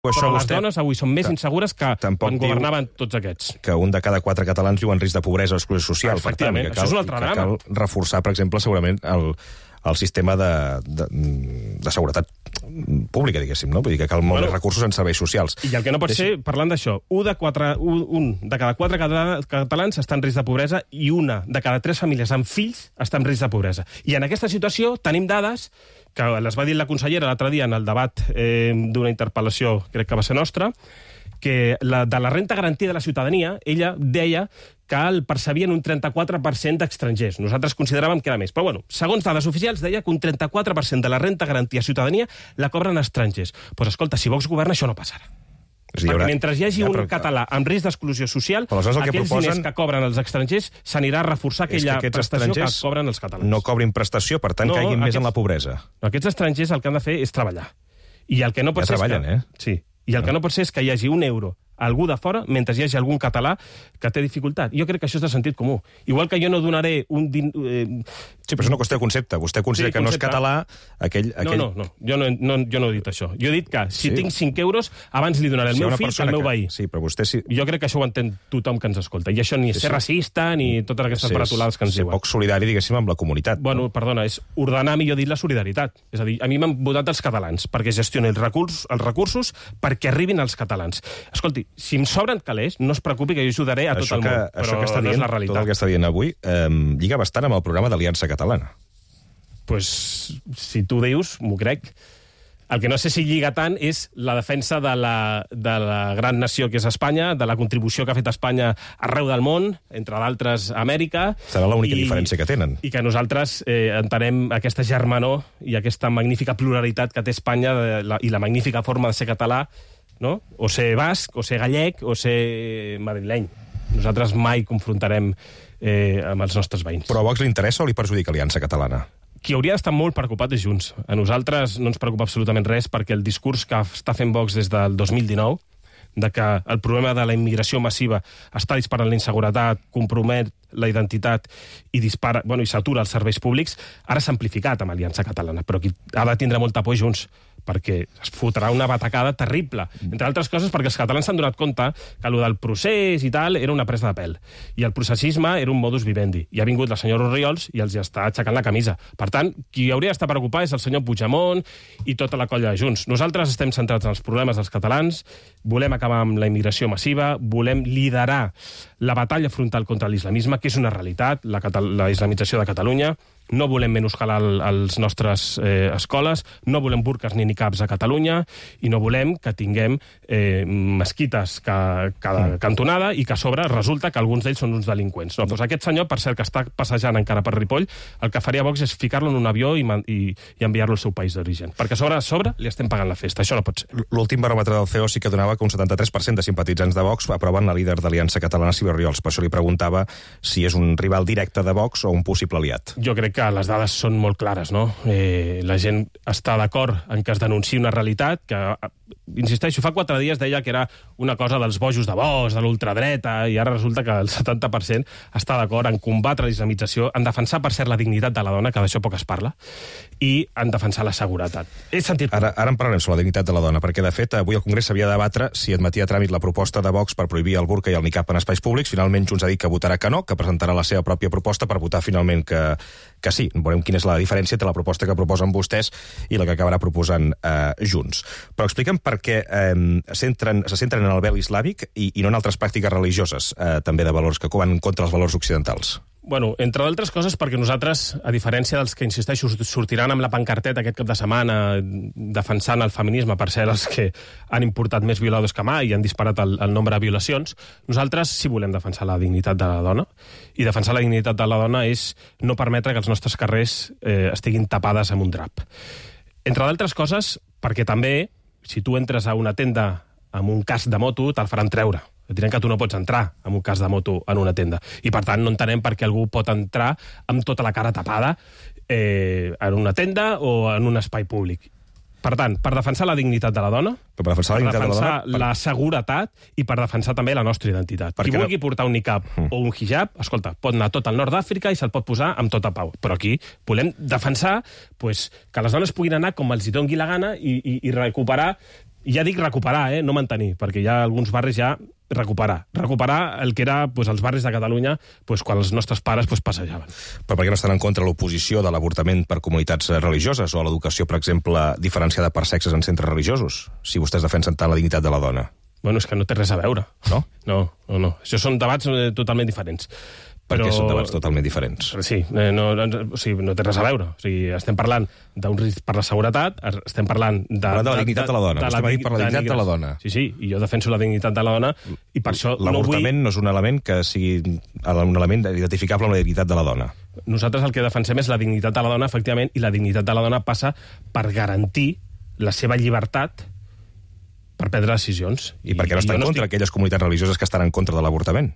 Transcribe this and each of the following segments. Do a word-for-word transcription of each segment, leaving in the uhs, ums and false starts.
Però les vostè... dones avui són més insegures que Tampoc quan governaven tots aquests. Que un de cada quatre catalans viu en risc de pobresa o exclusió social. Efectivament, per tant, això és un altre que drama. cal reforçar, per exemple, segurament el, el sistema de, de, de seguretat pública, diguéssim, no? Vull dir que cal molt Bueno, més recursos en serveis socials. I el que no pot Deixi... ser, parlant d'això, un de, quatre, un, un de cada quatre cata- catalans està en risc de pobresa i una de cada tres famílies amb fills està en risc de pobresa. I en aquesta situació tenim dades que les va dir la consellera l'altre dia en el debat eh, d'una interpel·lació, crec que va ser nostra, que la, de la renta garantida de la ciutadania, ella deia que el percebien un trenta-quatre per cent d'estrangers. Nosaltres consideràvem que era més. Però, bueno, segons dades oficials, deia que un trenta-quatre per cent de la renta garantida de ciutadania la cobren estrangers. Doncs, pues, escolta, si Vox governa, això no passarà. És a dir, Perquè haurà... mentre hi hagi Ja, un però- català amb risc d'exclusió social, Però aleshores el que aquells proposen- diners que cobren els estrangers s'anirà a reforçar És que aquella aquests prestació que estrangers cobren els catalans. no cobrin prestació, per tant, No, caiguin més aquests- en la pobresa. Aquests estrangers el que han de fer és treballar. I el que no pot Ja ser treballen, és que... eh? Sí. I el que no pot ser és que hi hagi un euro a algú de fora mentre hi hagi algun català que té dificultat. Jo crec que això és de sentit comú. Igual que jo no donaré un... Din... Eh... Sí, però és una qüestió de concepte. Vostè considera Sí, que no és concepte. català aquell... aquell... No, no, no. Jo no, no. jo no he dit això. Jo he dit que si Sí. tinc cinc euros, abans li donaré al Si hi ha meu una fill que persona al meu que- veí. Sí, però vostè sí... Jo crec que això ho entén tothom que ens escolta. I això ni és Sí, ser sí. racista ni totes aquestes ser- baratolades que ens ser diuen. poc solidari, diguéssim, amb la comunitat. Bueno, perdona, és ordenar, millor dit, la solidaritat. És a dir, a mi m'han votat els catalans perquè gestioni els recursos, els recursos perquè arribin als catalans. Escolti, si em sobren calés, no es preocupi que jo ajudaré a tot això el que, món, això però que està no dient, és la tot realitat. el que està dient avui, eh, lliga bastant amb el programa d'Aliança Catalana. Pues, si tu dius, m'ho crec. El que no sé si lliga tant és la defensa de la, de la gran nació que és Espanya, de la contribució que ha fet Espanya arreu del món, entre d'altres Amèrica. Serà l'única i- diferència que tenen. I que nosaltres eh, entenem aquesta germanor i aquesta magnífica pluralitat que té Espanya de la, i la magnífica forma de ser català, no? O ser basc, o ser gallec, o ser madrileny. Nosaltres mai confrontarem eh, amb els nostres veïns. Però a Vox li interessa o li perjudica Aliança Catalana? Qui hauria d'estar molt preocupat és Junts. A nosaltres no ens preocupa absolutament res perquè el discurs que està fent Vox des del dos mil dinou, de que el problema de la immigració massiva està disparant la inseguretat, compromet la identitat i dispara, bueno, i s'atura els serveis públics, ara s'ha amplificat amb Aliança Catalana, però qui ha de tindre molt por Junts, perquè es fotrà una batacada terrible. Entre altres coses perquè els catalans s'han donat compte que allò del procés i tal era una presa de pèl. I el processisme era un modus vivendi. I ha vingut la senyora Orriols i els està aixecant la camisa. Per tant, qui hauria d'estar preocupat és el senyor Puigdemont i tota la colla de Junts. Nosaltres estem centrats en els problemes dels catalans, volem acabar amb la immigració massiva, volem liderar la batalla frontal contra l'islamisme, que és una realitat, la, la islamització de Catalunya. No volem menyscalar les nostres eh, escoles, no volem burques ni niqabs a Catalunya i no volem que tinguem eh, mesquites cada, cada cantonada i que a sobre resulta que alguns d'ells són uns delinqüents. No, doncs aquest senyor, per cert, que està passejant encara per Ripoll, el que faria Vox és ficar-lo en un avió i, i, i enviar-lo al seu país d'origen. Perquè a sobre, a sobre li estem pagant la festa. Això no pot ser. L'últim baròmetre del C E O sí que donava que un setanta-tres per cent de simpatitzants de Vox aproven la líder d'Aliança Catalana, Sílvia Orriols. Per això li preguntava si és un rival directe de Vox o un possible aliat. Jo crec que les dades són molt clares, no? Eh, la gent està d'acord en que es denunciï una realitat que, insisteixo, fa quatre dies deia que era una cosa dels bojos de Vox, de l'ultradreta, i ara resulta que el setanta per cent està d'acord en combatre la islamització, en defensar, per cert, la dignitat de la dona, que d'això poc es parla, i en defensar la seguretat. He sentit... Ara, ara en parlarem sobre la dignitat de la dona, perquè, de fet, avui al Congrés s'havia de debatre si admetia a tràmit la proposta de Vox per prohibir el burca i el niqab en espais públics. Finalment, Junts ha dit que votarà que no, que presentarà la seva pròpia proposta per votar finalment que, que sí. Veurem quina és la diferència entre la proposta que proposen vostès i la que acabarà proposant eh, Junts. Però explica'm per què eh, centren, se centren en el vel islàmic i, i no en altres pràctiques religioses, eh, també de valors que van contra els valors occidentals. Bueno, entre d'altres coses perquè nosaltres, a diferència dels que, insisteixo, sortiran amb la pancarteta aquest cap de setmana defensant el feminisme, per ser els que han importat més violadors que mai i han disparat el, el nombre de violacions, nosaltres sí volem defensar la dignitat de la dona, i defensar la dignitat de la dona és no permetre que els nostres carrers eh, estiguin tapades amb un drap. Entre d'altres coses perquè també, si tu entres a una tenda amb un casc de moto, te'l faran treure. Et diran que tu no pots entrar amb un casc de moto en una tenda. I, per tant, no entenem per què algú pot entrar amb tota la cara tapada eh, en una tenda o en un espai públic. Per tant, per defensar la dignitat de la dona, Però per defensar la per dignitat defensar de la dona... Per... la seguretat i per defensar també la nostra identitat. Per Qui què vulgui no? portar un niqab mm. o un hijab, escolta, pot anar tot al nord d'Àfrica i se'l pot posar amb tota pau. Però aquí volem defensar pues, que les dones puguin anar com els hi doni la gana i, i, i recuperar I ja dic recuperar, eh? No mantenir, perquè hi ha alguns barris ja recuperar. Recuperar el que era pues, els barris de Catalunya pues, quan els nostres pares pues, passejaven. Però per què no estan en contra l'oposició de l'avortament per comunitats religioses o l'educació, per exemple, diferenciada per sexes en centres religiosos, si vostès defensen tant la dignitat de la dona? Bueno, és que no té res a veure. No? No, no, no. Això són debats eh, totalment diferents. Perquè Però... són debats totalment diferents. Sí, eh, no, no, o sigui, no té res a veure. O sigui, estem parlant d'un risc per la seguretat, estem parlant de... Parlant de la dignitat de, de la dona. De, de la, per la dignitat de, de la dona. Sí, sí, i jo defenso la dignitat de la dona i per això no vull... L'avortament no és un element que sigui un element identificable amb la dignitat de la dona. Nosaltres el que defensem és la dignitat de la dona, efectivament, i la dignitat de la dona passa per garantir la seva llibertat per prendre decisions. I, I per què no està en contra estic... aquelles comunitats religioses que estan en contra de l'avortament?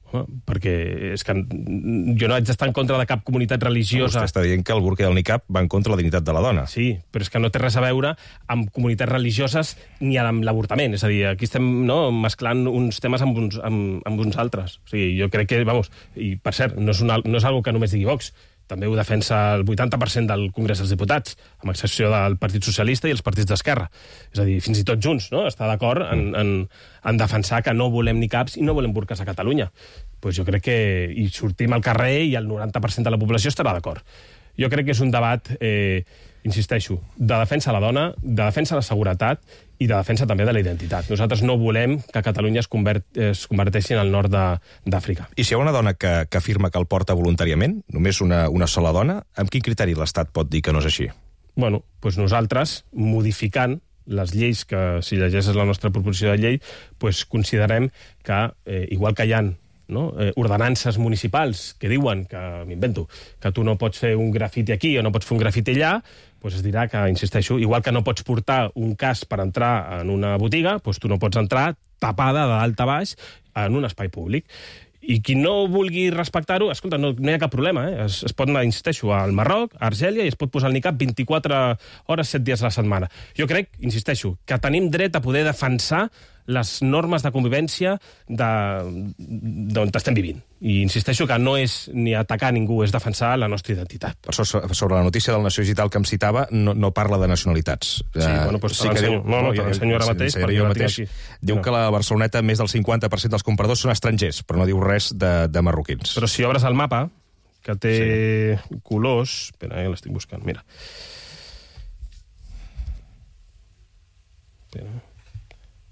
Home, perquè és que jo no haig d'estar en contra de cap comunitat religiosa. Vostè està dient que el burca i el niqab van contra la dignitat de la dona. Sí, però és que no té res a veure amb comunitats religioses ni amb l'avortament. És a dir, aquí estem no, mesclant uns temes amb uns, amb, amb uns altres. O sigui, jo crec que, vamos, i per cert, no és, una, no és algo que només digui Vox, també ho defensa el vuitanta per cent del Congrés dels Diputats, amb excepció del Partit Socialista i els partits d'Esquerra. És a dir, fins i tot Junts no? Està d'acord en, en, en defensar que no volem niqabs i no volem burques a Catalunya. Pues jo crec que hi sortim al carrer i el noranta per cent de la població estarà d'acord. Jo crec que és un debat, eh, insisteixo, de defensa a la dona, de defensa a la seguretat i de defensa també de la identitat. Nosaltres no volem que Catalunya es, convert, es converteixi en el nord d'Àfrica. I si hi ha una dona que, que afirma que el porta voluntàriament, només una, una sola dona, amb quin criteri l'Estat pot dir que no és així? Bueno, doncs nosaltres, modificant les lleis, que si llegeixes la nostra proposició de llei, doncs considerem que, eh, igual que hi ha no? eh, ordenances municipals que diuen, que m'invento, que tu no pots fer un grafiti aquí o no pots fer un grafiti allà, doncs es dirà que, insisteixo, igual que no pots portar un casc per entrar en una botiga, doncs tu no pots entrar tapada de dalt a baix en un espai públic. I qui no vulgui respectar-ho, escolta, no, no hi ha cap problema, eh? es, es pot anar, insisteixo, al Marroc, a Argèlia, i es pot posar el niqab vint-i-quatre hores, set dies a la setmana. Jo crec, insisteixo, que tenim dret a poder defensar les normes de convivència d'on estem vivint. I insisteixo que no és ni atacar ningú, és defensar la nostra identitat. Per això, sobre la notícia del Nació Digital que em citava, no, no parla de nacionalitats. Sí, uh, bueno, doncs sí te l'ensenyo. No, no, te l'ensenyo ara mateix. Jo mateix. Diu no. que a la Barceloneta més del cinquanta per cent dels compradors són estrangers, però no diu res de, de marroquins. Però si obres el mapa, que té sí. colors... Espera, eh, l'estic buscant, mira. Espera.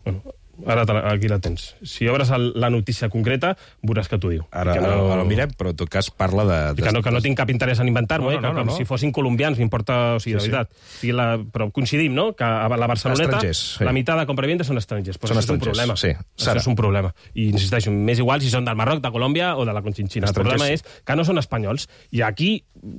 Bueno... Ara aquí la tens. Si obres el, la notícia concreta, veuràs que t'ho diu. Ara, que no... ara, ara ho mirem, però en tot cas parla de... de... Que, no, que no tinc cap interès en inventar-m'ho, no, no, eh? que, no, no, no. Si fossin colombians m'importa, o sigui, sí, de veritat. Sí. O sigui, la... Però coincidim, no?, que a la Barceloneta sí. la meitat de compra-venda són estrangers. Però són això estrangers, és un problema. Sí. Això és un problema. I insisteixo, més igual si són del Marroc, de Colòmbia o de la Conchinchina. El problema és que no són espanyols. I aquí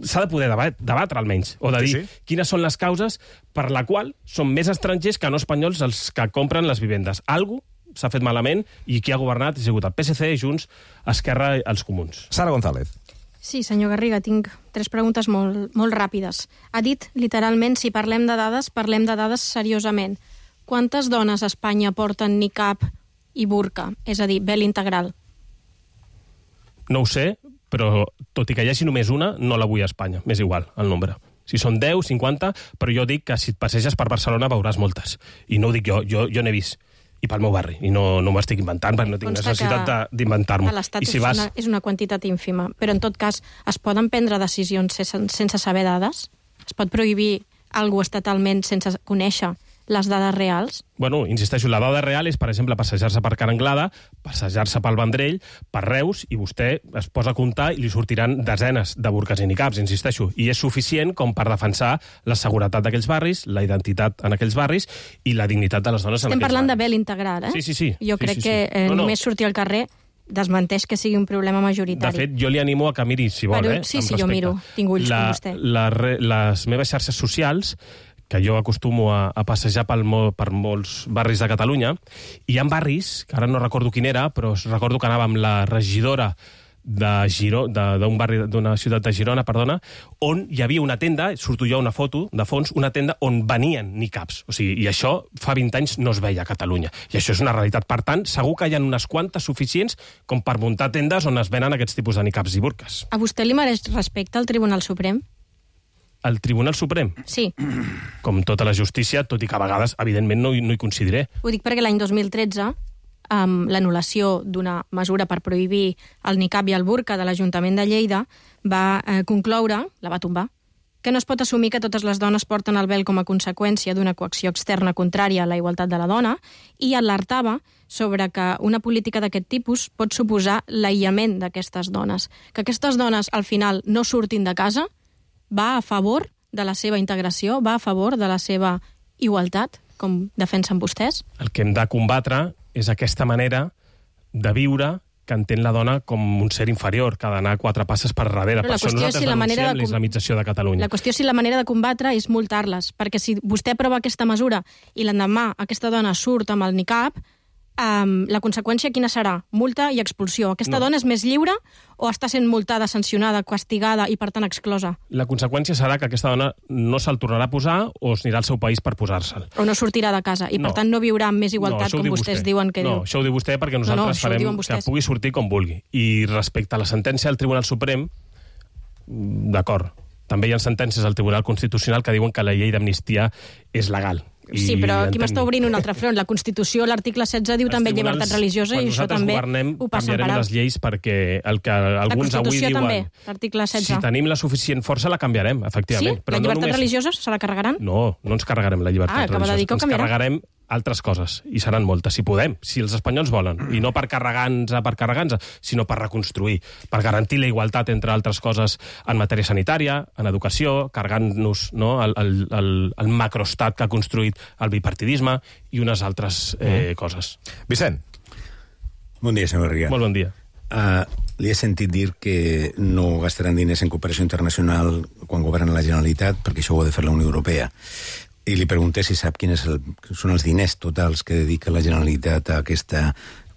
s'ha de poder debat, debatre, almenys, o de dir sí, sí. quines són les causes per la qual són més estrangers que no espanyols els que compren les vivendes. Algo s'ha fet malament i qui ha governat ha sigut el P S C, Junts, Esquerra i els Comuns. Sara González. Sí, senyor Garriga, tinc tres preguntes molt, molt ràpides. Ha dit, literalment, si parlem de dades, parlem de dades seriosament. Quantes dones a Espanya porten niqab i burca? És a dir, vel integral. No ho sé, però tot i que hi hagi només una, no la vull a Espanya. M'és igual, el nombre. Si són deu, cinquanta, però jo dic que si et passeges per Barcelona veuràs moltes. I no ho dic jo, jo, jo n'he vist. I pel meu barri, i no, no m'ho estic inventant, perquè no tinc Consta necessitat d'inventar-m'ho. A l'Estat si és, vas... una, és una quantitat ínfima, però en tot cas es poden prendre decisions sense, sense saber dades? Es pot prohibir alguna cosa estatalment sense conèixer les dades reals? Bueno, insisteixo, la dada real és, per exemple, passejar-se per Ca n'Anglada, passejar-se pel Vendrell, per Reus, i vostè es posa a comptar i li sortiran desenes de burques i niqabs, insisteixo. I és suficient com per defensar la seguretat d'aquells barris, la identitat en aquells barris i la dignitat de les dones en Estem aquells barris. Estem parlant de vel integral, eh? Sí, sí, sí. Jo sí, crec sí, sí. que eh, no, no. només sortir al carrer desmenteix que sigui un problema majoritari. De fet, jo li animo a que miri, si vol, Però, eh? Sí, sí, jo miro. Tinc ulls la, com vostè. La, les meves xarxes socials, que jo acostumo a, a passejar pel, per molts barris de Catalunya, i hi ha barris, que ara no recordo quin era, però recordo que anava amb la regidora de Giró, d'un barri d'una ciutat de Girona, perdona, on hi havia una tenda, surto jo una foto de fons, una tenda on venien niqabs. O sigui, i això fa vint anys no es veia a Catalunya. I això és una realitat. Per tant, segur que hi ha unes quantes suficients com per muntar tendes on es venen aquests tipus de niqabs i burques. A vostè li mereix respecte al Tribunal Suprem? el Tribunal Suprem. Sí. Com tota la justícia, tot i que a vegades, evidentment, no hi, no hi coincidiré. Ho dic perquè l'any dos mil tretze amb l'anul·lació d'una mesura per prohibir el niqab i el burca de l'Ajuntament de Lleida va eh, concloure, la va tombar, que no es pot assumir que totes les dones porten el vel com a conseqüència d'una coacció externa contrària a la igualtat de la dona i alertava sobre que una política d'aquest tipus pot suposar l'aïllament d'aquestes dones. Que aquestes dones, al final, no surtin de casa va a favor de la seva integració, va a favor de la seva igualtat, com defensen vostès? El que hem de combatre és aquesta manera de viure que entén la dona com un ser inferior, que ha d'anar quatre passes per darrere. Però per això nosaltres si la denunciem de... l'islamització de Catalunya. La qüestió és si la manera de combatre és multar-les, perquè si vostè aprova aquesta mesura i l'endemà aquesta dona surt amb el niqab, um, la conseqüència quina serà? Multa i expulsió. Aquesta no. dona és més lliure o està sent multada, sancionada, castigada i, per tant, exclosa? La conseqüència serà que aquesta dona no se'l tornarà a posar o es anirà al seu país per posar-se'l. O no sortirà de casa i, no. per tant, no viurà amb més igualtat, no, com vostès vostè. diuen que no, diu. No, això ho diu vostè perquè nosaltres no, no, farem que pugui sortir com vulgui. I respecte a la sentència del Tribunal Suprem, d'acord, també hi ha sentències al Tribunal Constitucional que diuen que la llei d'amnistia és legal. I sí, però aquí entenc... m'està obrint un altre front. La Constitució, l'article setze, diu també llibertat religiosa i això també governem, ho passen per alt. Canviarem les lleis perquè el que alguns avui diuen... La Constitució també, l'article setze. Si tenim la suficient força, la canviarem, efectivament. Sí? Però la llibertat no només... religiosa se la carregaran? No, no ens carregarem la llibertat ah, religiosa. De dir que ens carregarem altres coses, i seran moltes, si podem, si els espanyols volen, i no per carregar-nos per carregar-nos, sinó per reconstruir, per garantir la igualtat, entre altres coses, en matèria sanitària, en educació, carregant-nos no, el, el, el, el macroestat que ha construït el bipartidisme i unes altres eh, mm. coses. Vicent. Bon dia, senyor Garriga. Molt bon dia. Uh, li he sentit dir que no gastaran diners en cooperació internacional quan governen la Generalitat, perquè això ho ha de fer la Unió Europea. I li pregunté si sap quins el, són els diners totals que dedica la Generalitat a aquesta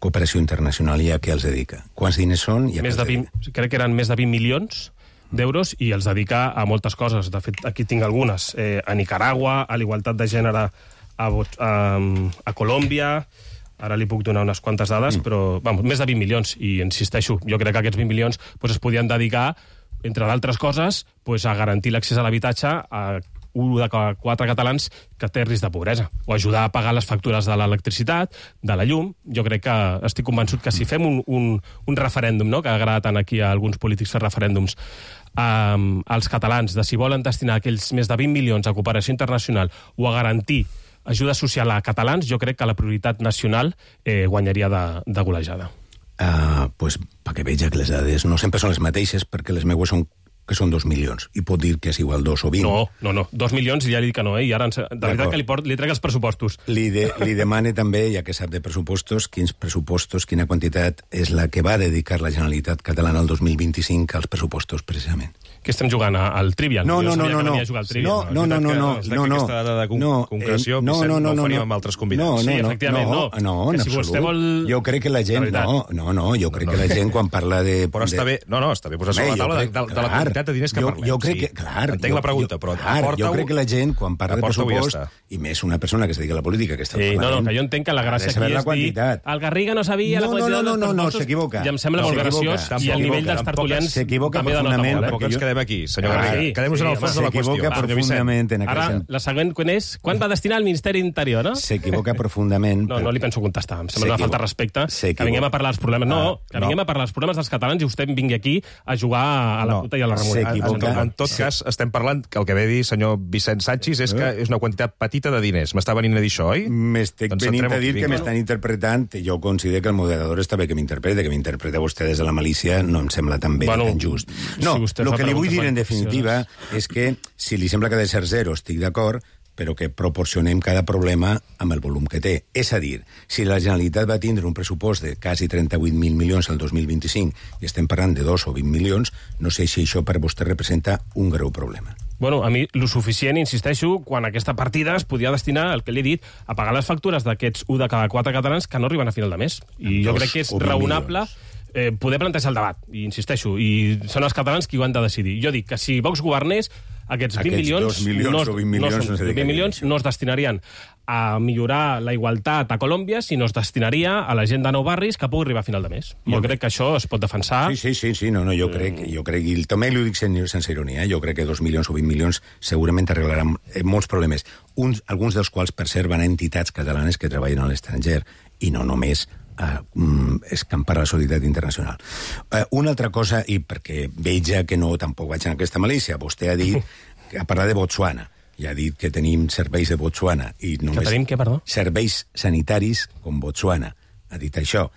cooperació internacional i a què els dedica. Quants diners són i a més què de vint, crec que eren més de vint milions d'euros i els dedica a moltes coses. De fet, aquí tinc algunes. Eh, a Nicaragua, a l'igualtat de gènere a, a, a Colòmbia... Ara li puc donar unes quantes dades, mm. però vamos, més de vint milions. I insisteixo, jo crec que aquests vint milions pues, es podien dedicar, entre d'altres coses, pues, a garantir l'accés a l'habitatge a un de quatre catalans que té risc de pobresa, o ajudar a pagar les factures de l'electricitat, de la llum. Jo crec que estic convençut que si fem un, un, un referèndum, no?, que agrada tant aquí a alguns polítics fer referèndums, um, als catalans, de si volen destinar aquells més de vint milions a cooperació internacional o a garantir ajuda social a catalans, jo crec que la prioritat nacional eh, guanyaria de, de golejada. Uh, pues, perquè veja que les dades no sempre són les mateixes, perquè les meues són que són dos milions, i pot dir que és igual dos o vint. No, no, no, dos milions ja li dic que no, eh? I ara, de veritat que li, port, li trec els pressupostos. Li, de, li demane també, ja que sap de pressupostos, quins pressupostos, quina quantitat és la que va dedicar la Generalitat catalana el dos mil vint-i-cinc als pressupostos, precisament. Que estem jugant al Trivial. No, no, no, no, no. No, no, no, no, no, no, no. Aquesta dada de con no, concreció, eh, no, no, no, no, no ho faríem no, amb altres convidats. No, no, sí, efectivament, no. No, no, en si absolut. Vol... Jo crec que la gent... La no, no, no, jo crec no. que la gent quan parla de... Però està bé, no, no, està bé posar sobre la taula crec, de, de, de la quantitat de diners que jo, parlem. Jo crec sí. que, clar... Entenc jo, la pregunta, però clar, jo crec que la gent, quan parla de pressupost, i més una persona que es dedica a la política, que està sí, no, no, que jo entenc que la gràcia aquí és dir el Garriga no sabia la quantitat dels pressupostos... I em sembla molt graciós, i el nivell dels tertulians també de nota molt. Tampoc ens quedem aquí, senyor Garriga. Quedem-nos en el fons de la qüestió. S'equivoca profundament en Ara, la següent, quan és? Quan va destinar al Ministeri d'Interior, no? S'equivoca profundament. No, no li penso contestar. Em sembla una falta de respecte. Que vinguem a parlar dels problemes. No, que vinguem a parlar dels problemes dels catalans i vostè vingui aquí a jugar a la puta i a la remunerada. En tot cas, estem parlant que el que ve dir senyor Vicent Sanchis és que és una quantitat petita de diners. M'està venint a dir això, oi? M'estic venint a dir que m'estan interpretant. Jo considero que el moderador està bé que m'interprete, que m'interpreta vostè des de la malícia, no em sembla tan bé, tan just. No, el que li vull dir en definitiva és que si li sembla que ha de ser zero, estic d'acord, però que proporcionem cada problema amb el volum que té. És a dir, si la Generalitat va tindre un pressupost de quasi trenta-vuit mil milions el dos mil vint-i-cinc i estem parlant de dos o vint milions, no sé si això per vostè representa un greu problema. Bueno, a mi, lo suficient, insisteixo, quan aquesta partida es podia destinar, el que li he dit, a pagar les factures d'aquests un de cada quatre catalans que no arriben a final de mes. I jo crec que és raonable eh, poder plantejar el debat, i insisteixo, i són els catalans qui ho han de decidir. Jo dic que si Vox governés, aquests vint milions, milions no, o vint milions, no, no sé vint milions no es destinarien a millorar la igualtat a Colòmbia, sinó es destinaria a la gent de nou barris que pugui arribar a final de mes. Jo Molt crec bé. que això es pot defensar. Sí, sí, sí, sí no, no, jo crec, jo crec, i també li ho dic sense, sense ironia, eh? Jo crec que dos milions o vint milions segurament arreglaran molts problemes, uns, alguns dels quals, per cert, van a entitats catalanes que treballen a l'estranger, i no només a uh, escampar la solidaritat internacional. Uh, una altra cosa, i perquè veja que no tampoc vaig en aquesta malícia, vostè ha dit, ha parlat de Botswana, i ha dit que tenim serveis de Botswana. I només que tenim què, perdó? Serveis sanitaris com Botswana. Ha dit això.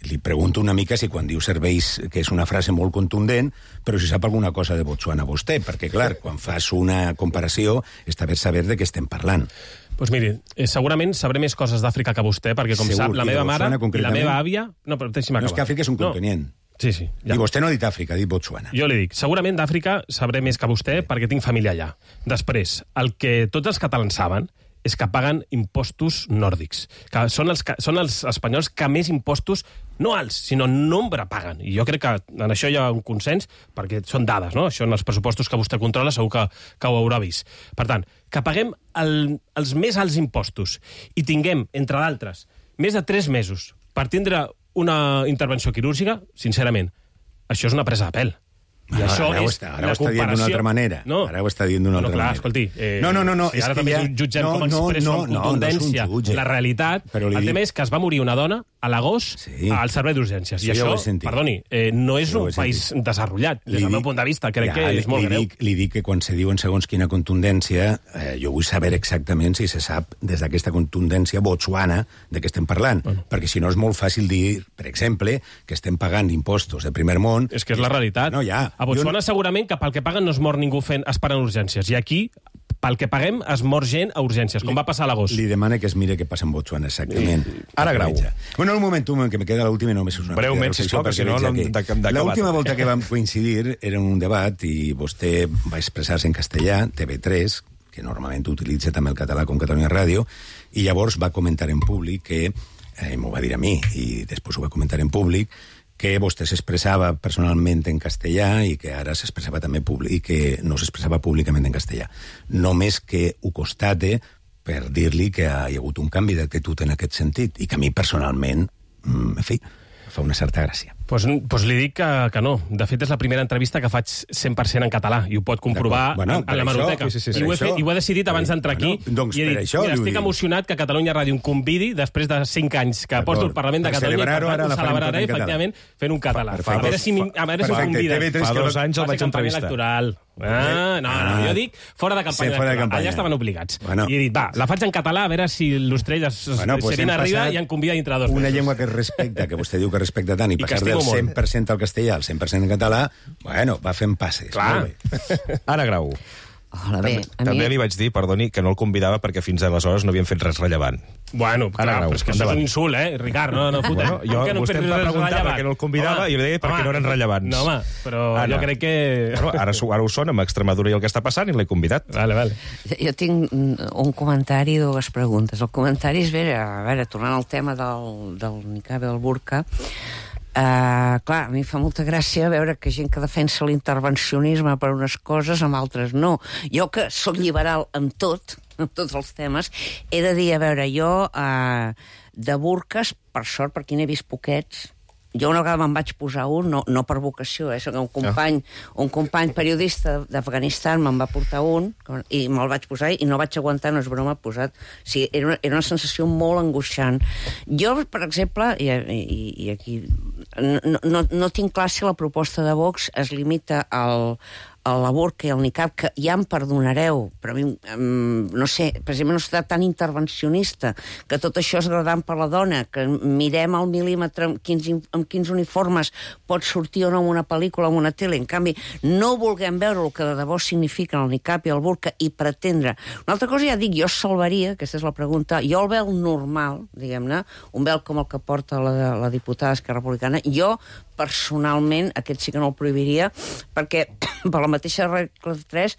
Li pregunto una mica si quan diu serveis, que és una frase molt contundent, però si sap alguna cosa de Botswana vostè, perquè, clar, quan fas una comparació, està bé saber de què estem parlant. Doncs pues miri, eh, segurament sabré més coses d'Àfrica que vostè, perquè, com Segur, sap, la meva mare i la meva àvia... No, però deixi'm acabar. No, és que Àfrica és un continent. No. Sí, sí. Ja. I vostè no ha dit Àfrica, ha dit Botswana. Jo li dic, segurament d'Àfrica sabré més que vostè perquè tinc família allà. Després, el que tots els catalans saben és que paguen impostos nòrdics, que són els, són els espanyols que més impostos, no alts, sinó nombre paguen. I jo crec que en això hi ha un consens, perquè són dades, no? Això en els pressupostos que vostè controla segur que, que ho haurà vist. Per tant, que paguem el, els més alts impostos i tinguem, entre d'altres, més de tres mesos per tindre una intervenció quirúrgica, sincerament, això és una presa de pèl. I ara, això ara és ho està, ara ho està dient d'una altra manera. No. Ara ho està dient d'una no, altra clar, manera. Escolti, eh, no, no, no, no, si és ara que també ja... jutgem no, com no, expresso no, amb contundència no, no la realitat. Però el tema dic... és que es va morir una dona a l'agost sí. al servei d'urgències. Sí, I això, perdoni, eh, no és un país desenvolupat, des del meu punt de vista. Crec ja, que és molt li greu. Dic, li dic que quan se diuen segons quina contundència, eh, jo vull saber exactament si se sap des d'aquesta contundència Botswana de què estem parlant. Bueno. Perquè si no és molt fàcil dir, per exemple, que estem pagant impostos de primer món... És que és la realitat. No, ja. A Botswana jo... segurament que pel que paguen no es mor ningú fent, esperant urgències. I aquí, pel que paguem, es mor gent a urgències, com li, va passar a l'agost. Li demana que es mire què passa en Botswana, exactament. I... Ara, Grau. Bueno, un moment, un moment, que me queda l'última i només és una... Breument, sisplau, perquè no... L'última volta que vam coincidir era en un debat i vostè va expressar-se en castellà, T V tres, que normalment utilitza també el català com Catalunya Ràdio, i llavors va comentar en públic que, eh, m'ho va dir a mi, i després ho va comentar en públic, que vostè s'expressava personalment en castellà i que ara s'expressava també públic, i que no s'expressava públicament en castellà. Només que ho constate per dir-li que hi ha hagut un canvi d'actitud en aquest sentit i que a mi personalment, en fi, fa una certa gràcia. Doncs pues, pues li dic que, que no. De fet, és la primera entrevista que faig cent per cent en català i ho pot comprovar bueno, en, en la Hemeroteca. Sí, sí, sí, I, ho he fet, I ho he decidit abans d'entrar aquí. Bueno, doncs i he dit, això, mira, estic emocionat que Catalunya Ràdio em convidi després de cinc anys que porto el Parlament de Catalunya i per tant ho celebraré, efectivament, fent un català. A veure si m'hi conviden. Fa dos anys el vaig entrevistar. Electoral. Ah, no, no, jo dic fora de campanya. Sí, fora de campanya. Allà estaven obligats. Bueno. I he dit, va, la faig en català, a veure si l'Ostrell es, bueno, pues se viene arriba i em convida dintre dos mesos. Una llengua que es respecta, que vostè diu que respecta tant, i, I passar del cent per cent al castellà al cent per cent en català, bueno, va fent passes. Clar. Ara, Grau. Hola, bé, també, també li vaig dir, perdoni, que no el convidava perquè fins aleshores no havien fet res rellevant. Bueno, clar, però és que això és un insult, eh, Ricard? No, no, puta. Bueno, jo, no vostè em va preguntar per què no el convidava home, i jo li deia perquè home, no eren rellevants. No, home, però Anna. jo crec que... Bueno, ara, ara ho són amb Extremadura i el que està passant i l'he convidat. Vale, vale. Jo tinc un comentari i dues preguntes. El comentari és, a veure, tornant al tema del, del niqab i del burka, Uh, clar, a mi fa molta gràcia veure que gent que defensa l'intervencionisme per unes coses, amb altres no. Jo, que soc liberal amb tot, amb tots els temes, he de dir, a veure, jo uh, de burques, per sort, perquè n'he vist poquets. Jo una vegada me'n vaig posar un, no, no per vocació, eh? Un company, un company periodista d'Afganistan me'n va portar un i me'l vaig posar i no vaig aguantar, no és broma, posat. O sigui, era una, era una sensació molt angoixant. Jo, per exemple, i, i, i aquí no, no, no tinc clar si la proposta de Vox es limita al a la burca i el niqab, que ja em perdonareu, però a mi, um, no sé, per exemple, no està tan intervencionista, que tot això és agradant per la dona, que mirem al mil·límetre amb quins, amb quins uniformes pot sortir o no en una pel·lícula o en una tele. En canvi, no vulguem veure el que de debò signifiquen el niqab i el burca i pretendre. Una altra cosa, ja dic, jo salvaria, aquesta és la pregunta, jo el vel normal, diguem-ne, un vel com el que porta la, la diputada Esquerra Republicana, jo personalment, aquest sí que no el prohibiria, perquè per la mateixa regla tres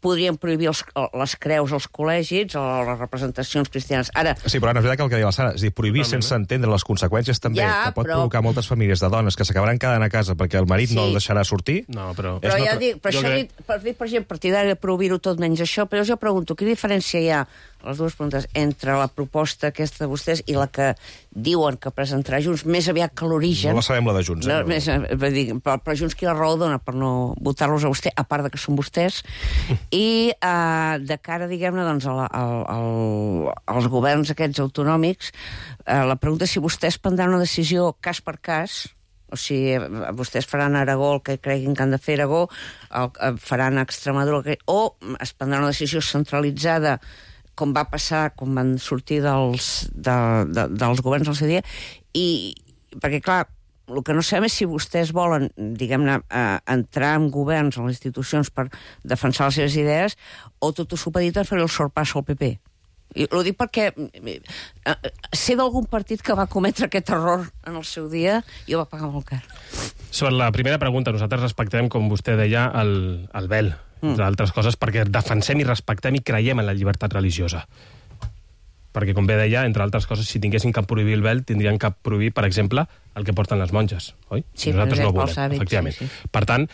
podrien prohibir els, les creus als col·legis o les representacions cristianes. Ara... Sí, però Anna, és veritat que el que deia la Sara, és dir, prohibir no, sense entendre les conseqüències també, ja, que pot però... provocar moltes famílies de dones que s'acabaran quedant a casa perquè el marit sí. no el deixarà sortir. No, però... Però ja no... dic, per jo això crec... dic, per dir, per exemple, partidari de prohibir-ho tot menys això, però jo pregunto, quina diferència hi ha, les dues preguntes, entre la proposta aquesta de vostès i la que diuen que presentarà Junts, més aviat que l'origen... No la sabem, la de Junts. Eh? No, més, dir, però, però Junts qui la raó dona per no votar-los a vostè, a part de que són vostès, i uh, de cara, diguem-ne, doncs, a la, a, a, als governs aquests autonòmics, uh, la pregunta és si vostès prendran una decisió cas per cas, o sigui, vostès faran a Aragó el que creguin que han de fer a Aragó, el, faran a Extremadura, que, o es prendrà una decisió centralitzada, com va passar, com van sortir dels, de, de, dels governs al seu dia, i perquè, clar, el que no sabem és si vostès volen, diguem-ne, eh, entrar en governs, en les institucions, per defensar les seves idees, o tot ho supedit a fer el sorpasso al P P. I ho dic perquè eh, sé d'algun partit que va cometre aquest error en el seu dia i ho va pagar molt car. Sobre la primera pregunta, nosaltres respectem, com vostè deia, el, el vel, mm. entre altres coses, perquè defensem i respectem i creiem en la llibertat religiosa. Perquè, com bé deia, entre altres coses, si tinguessin que prohibir el vel, tindrien que prohibir, per exemple, el que porten les monges, oi? Sí, nosaltres no volem, hàbits, efectivament. Sí, sí. Per tant,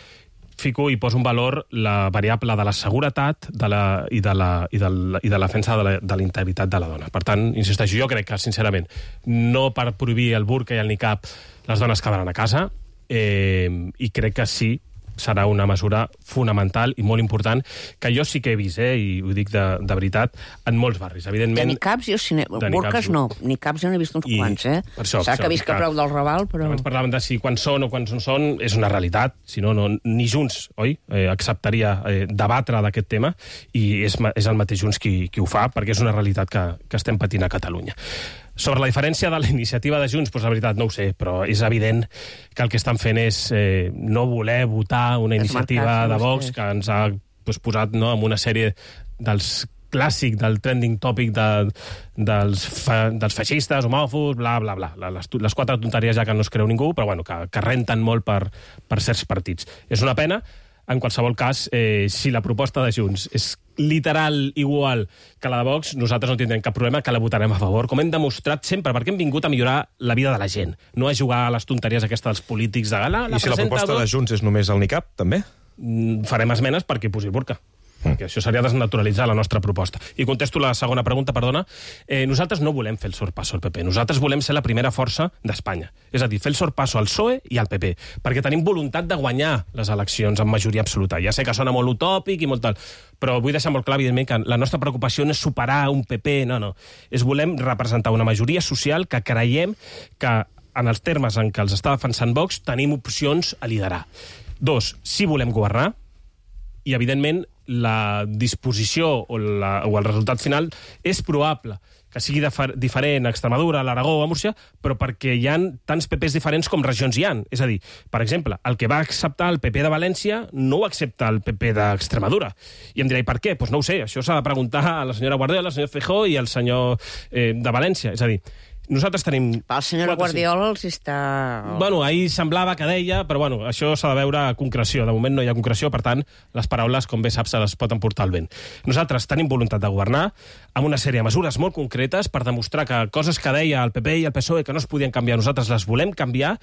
fico i poso en valor la variable de la seguretat de la, i, de la, i, de la, i de la defensa de la, de la integritat de la dona. Per tant, insisteixo, jo crec que, sincerament, no per prohibir el burca i el niqab les dones quedaran a casa, eh, i crec que sí, serà una mesura fonamental i molt important, que jo sí que he vist, eh, i ho dic de, de veritat, en molts barris. Evidentment, de niqabs, jo sí, burques no. Niqabs jo n'he vist uns I, quants, eh? S'ha que visc a preu del Raval, però... Abans parlàvem de si quan són o quan no són, és una realitat, si no, no ni Junts, oi? Eh, acceptaria eh, debatre d'aquest tema, i és, és el mateix Junts qui, qui ho fa, perquè és una realitat que, que estem patint a Catalunya. Sobre la diferència de la iniciativa de Junts, doncs la veritat no ho sé, però és evident que el que estan fent és eh, no voler votar una iniciativa de Vox que ens ha doncs, posat no, en una sèrie dels clàssic del trending topic de, dels, fa, dels feixistes, homòfobs, bla, bla, bla. Les, les quatre tonteries ja que no es creu ningú, però bueno, que, que renten molt per, per certs partits. És una pena. En qualsevol cas, eh, si la proposta de Junts és literal igual que la de Vox, nosaltres no tindrem cap problema, que la votarem a favor, com hem demostrat sempre, perquè hem vingut a millorar la vida de la gent, no a jugar a les tonteries aquestes dels polítics de gala. I si la proposta de Junts és només el niqab, també? Farem esmenes perquè posi burca. Perquè això seria desnaturalitzar la nostra proposta. I contesto la segona pregunta, perdona. Eh, nosaltres no volem fer el sorpasso al P P. Nosaltres volem ser la primera força d'Espanya. És a dir, fer el sorpasso al P S O E i al P P. Perquè tenim voluntat de guanyar les eleccions amb majoria absoluta. Ja sé que sona molt utòpic i molt tal, però vull deixar molt clar, evidentment, que la nostra preocupació no és superar un P P, no, no. És volem representar una majoria social que creiem que, en els termes en què els està defensant Vox, tenim opcions a liderar. Dos, si volem governar, i, evidentment, la disposició o, la, o el resultat final és probable que sigui diferent a Extremadura, a l'Aragó o a Múrcia, però perquè hi ha tants P Ps diferents com regions hi ha. És a dir, per exemple, el que va acceptar el P P de València no ho accepta el P P d'Extremadura. I em dirà, i per què? Doncs pues no ho sé, això s'ha de preguntar a la senyora Guardiola, al senyor Feijóo i al senyor eh, de València. És a dir, nosaltres tenim... El senyor Guardiola els està... Bueno, ahir semblava que deia, però bueno, això s'ha de veure a concreció. De moment no hi ha concreció, per tant, les paraules, com bé saps, se les pot emportar al vent. Nosaltres tenim voluntat de governar amb una sèrie de mesures molt concretes per demostrar que coses que deia el P P i el P S O E que no es podien canviar, nosaltres les volem canviar,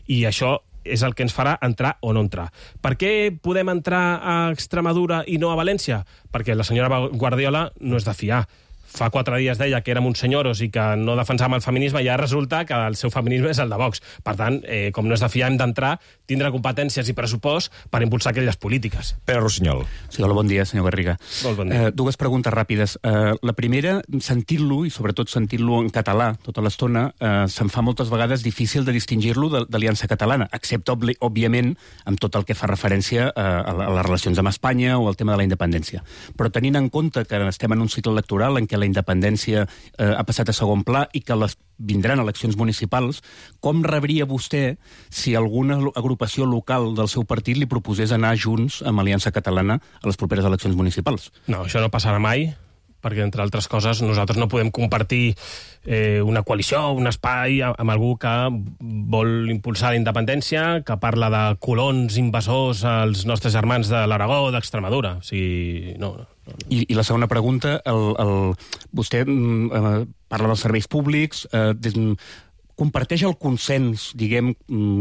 i això és el que ens farà entrar o no entrar. Per què podem entrar a Extremadura i no a València? Perquè la senyora Guardiola no és de fiar. Fa quatre dies deia que érem uns senyoros i que no defensàvem el feminisme, i ja resulta que el seu feminisme és el de Vox. Per tant, eh, com no és de fiar, hem d'entrar, tindre competències i pressupost per impulsar aquelles polítiques. Pere Rossinyol. Sí, hola, bon dia, senyor Garriga. Molt bon dia. Eh, dues preguntes ràpides. Eh, la primera, sentint-lo, i sobretot sentint-lo en català tota l'estona, eh, se'm fa moltes vegades difícil de distingir-lo de, d'Aliança Catalana, excepte, òbviament, amb tot el que fa referència a, a les relacions amb Espanya o al tema de la independència. Però tenint en compte que estem en un cicle electoral en què la independència eh, ha passat a segon pla i que les vindran eleccions municipals, com rebria vostè si alguna agrupació local del seu partit li proposés anar junts amb Aliança Catalana a les properes eleccions municipals? No, això no passarà mai, perquè, entre altres coses, nosaltres no podem compartir eh, una coalició, un espai amb algú que vol impulsar la independència, que parla de colons invasors als nostres germans de l'Aragó, d'Extremadura. O sigui, no... no. I, I la segona pregunta, el, el, vostè eh, parla dels serveis públics, eh, des, comparteix el consens, diguem,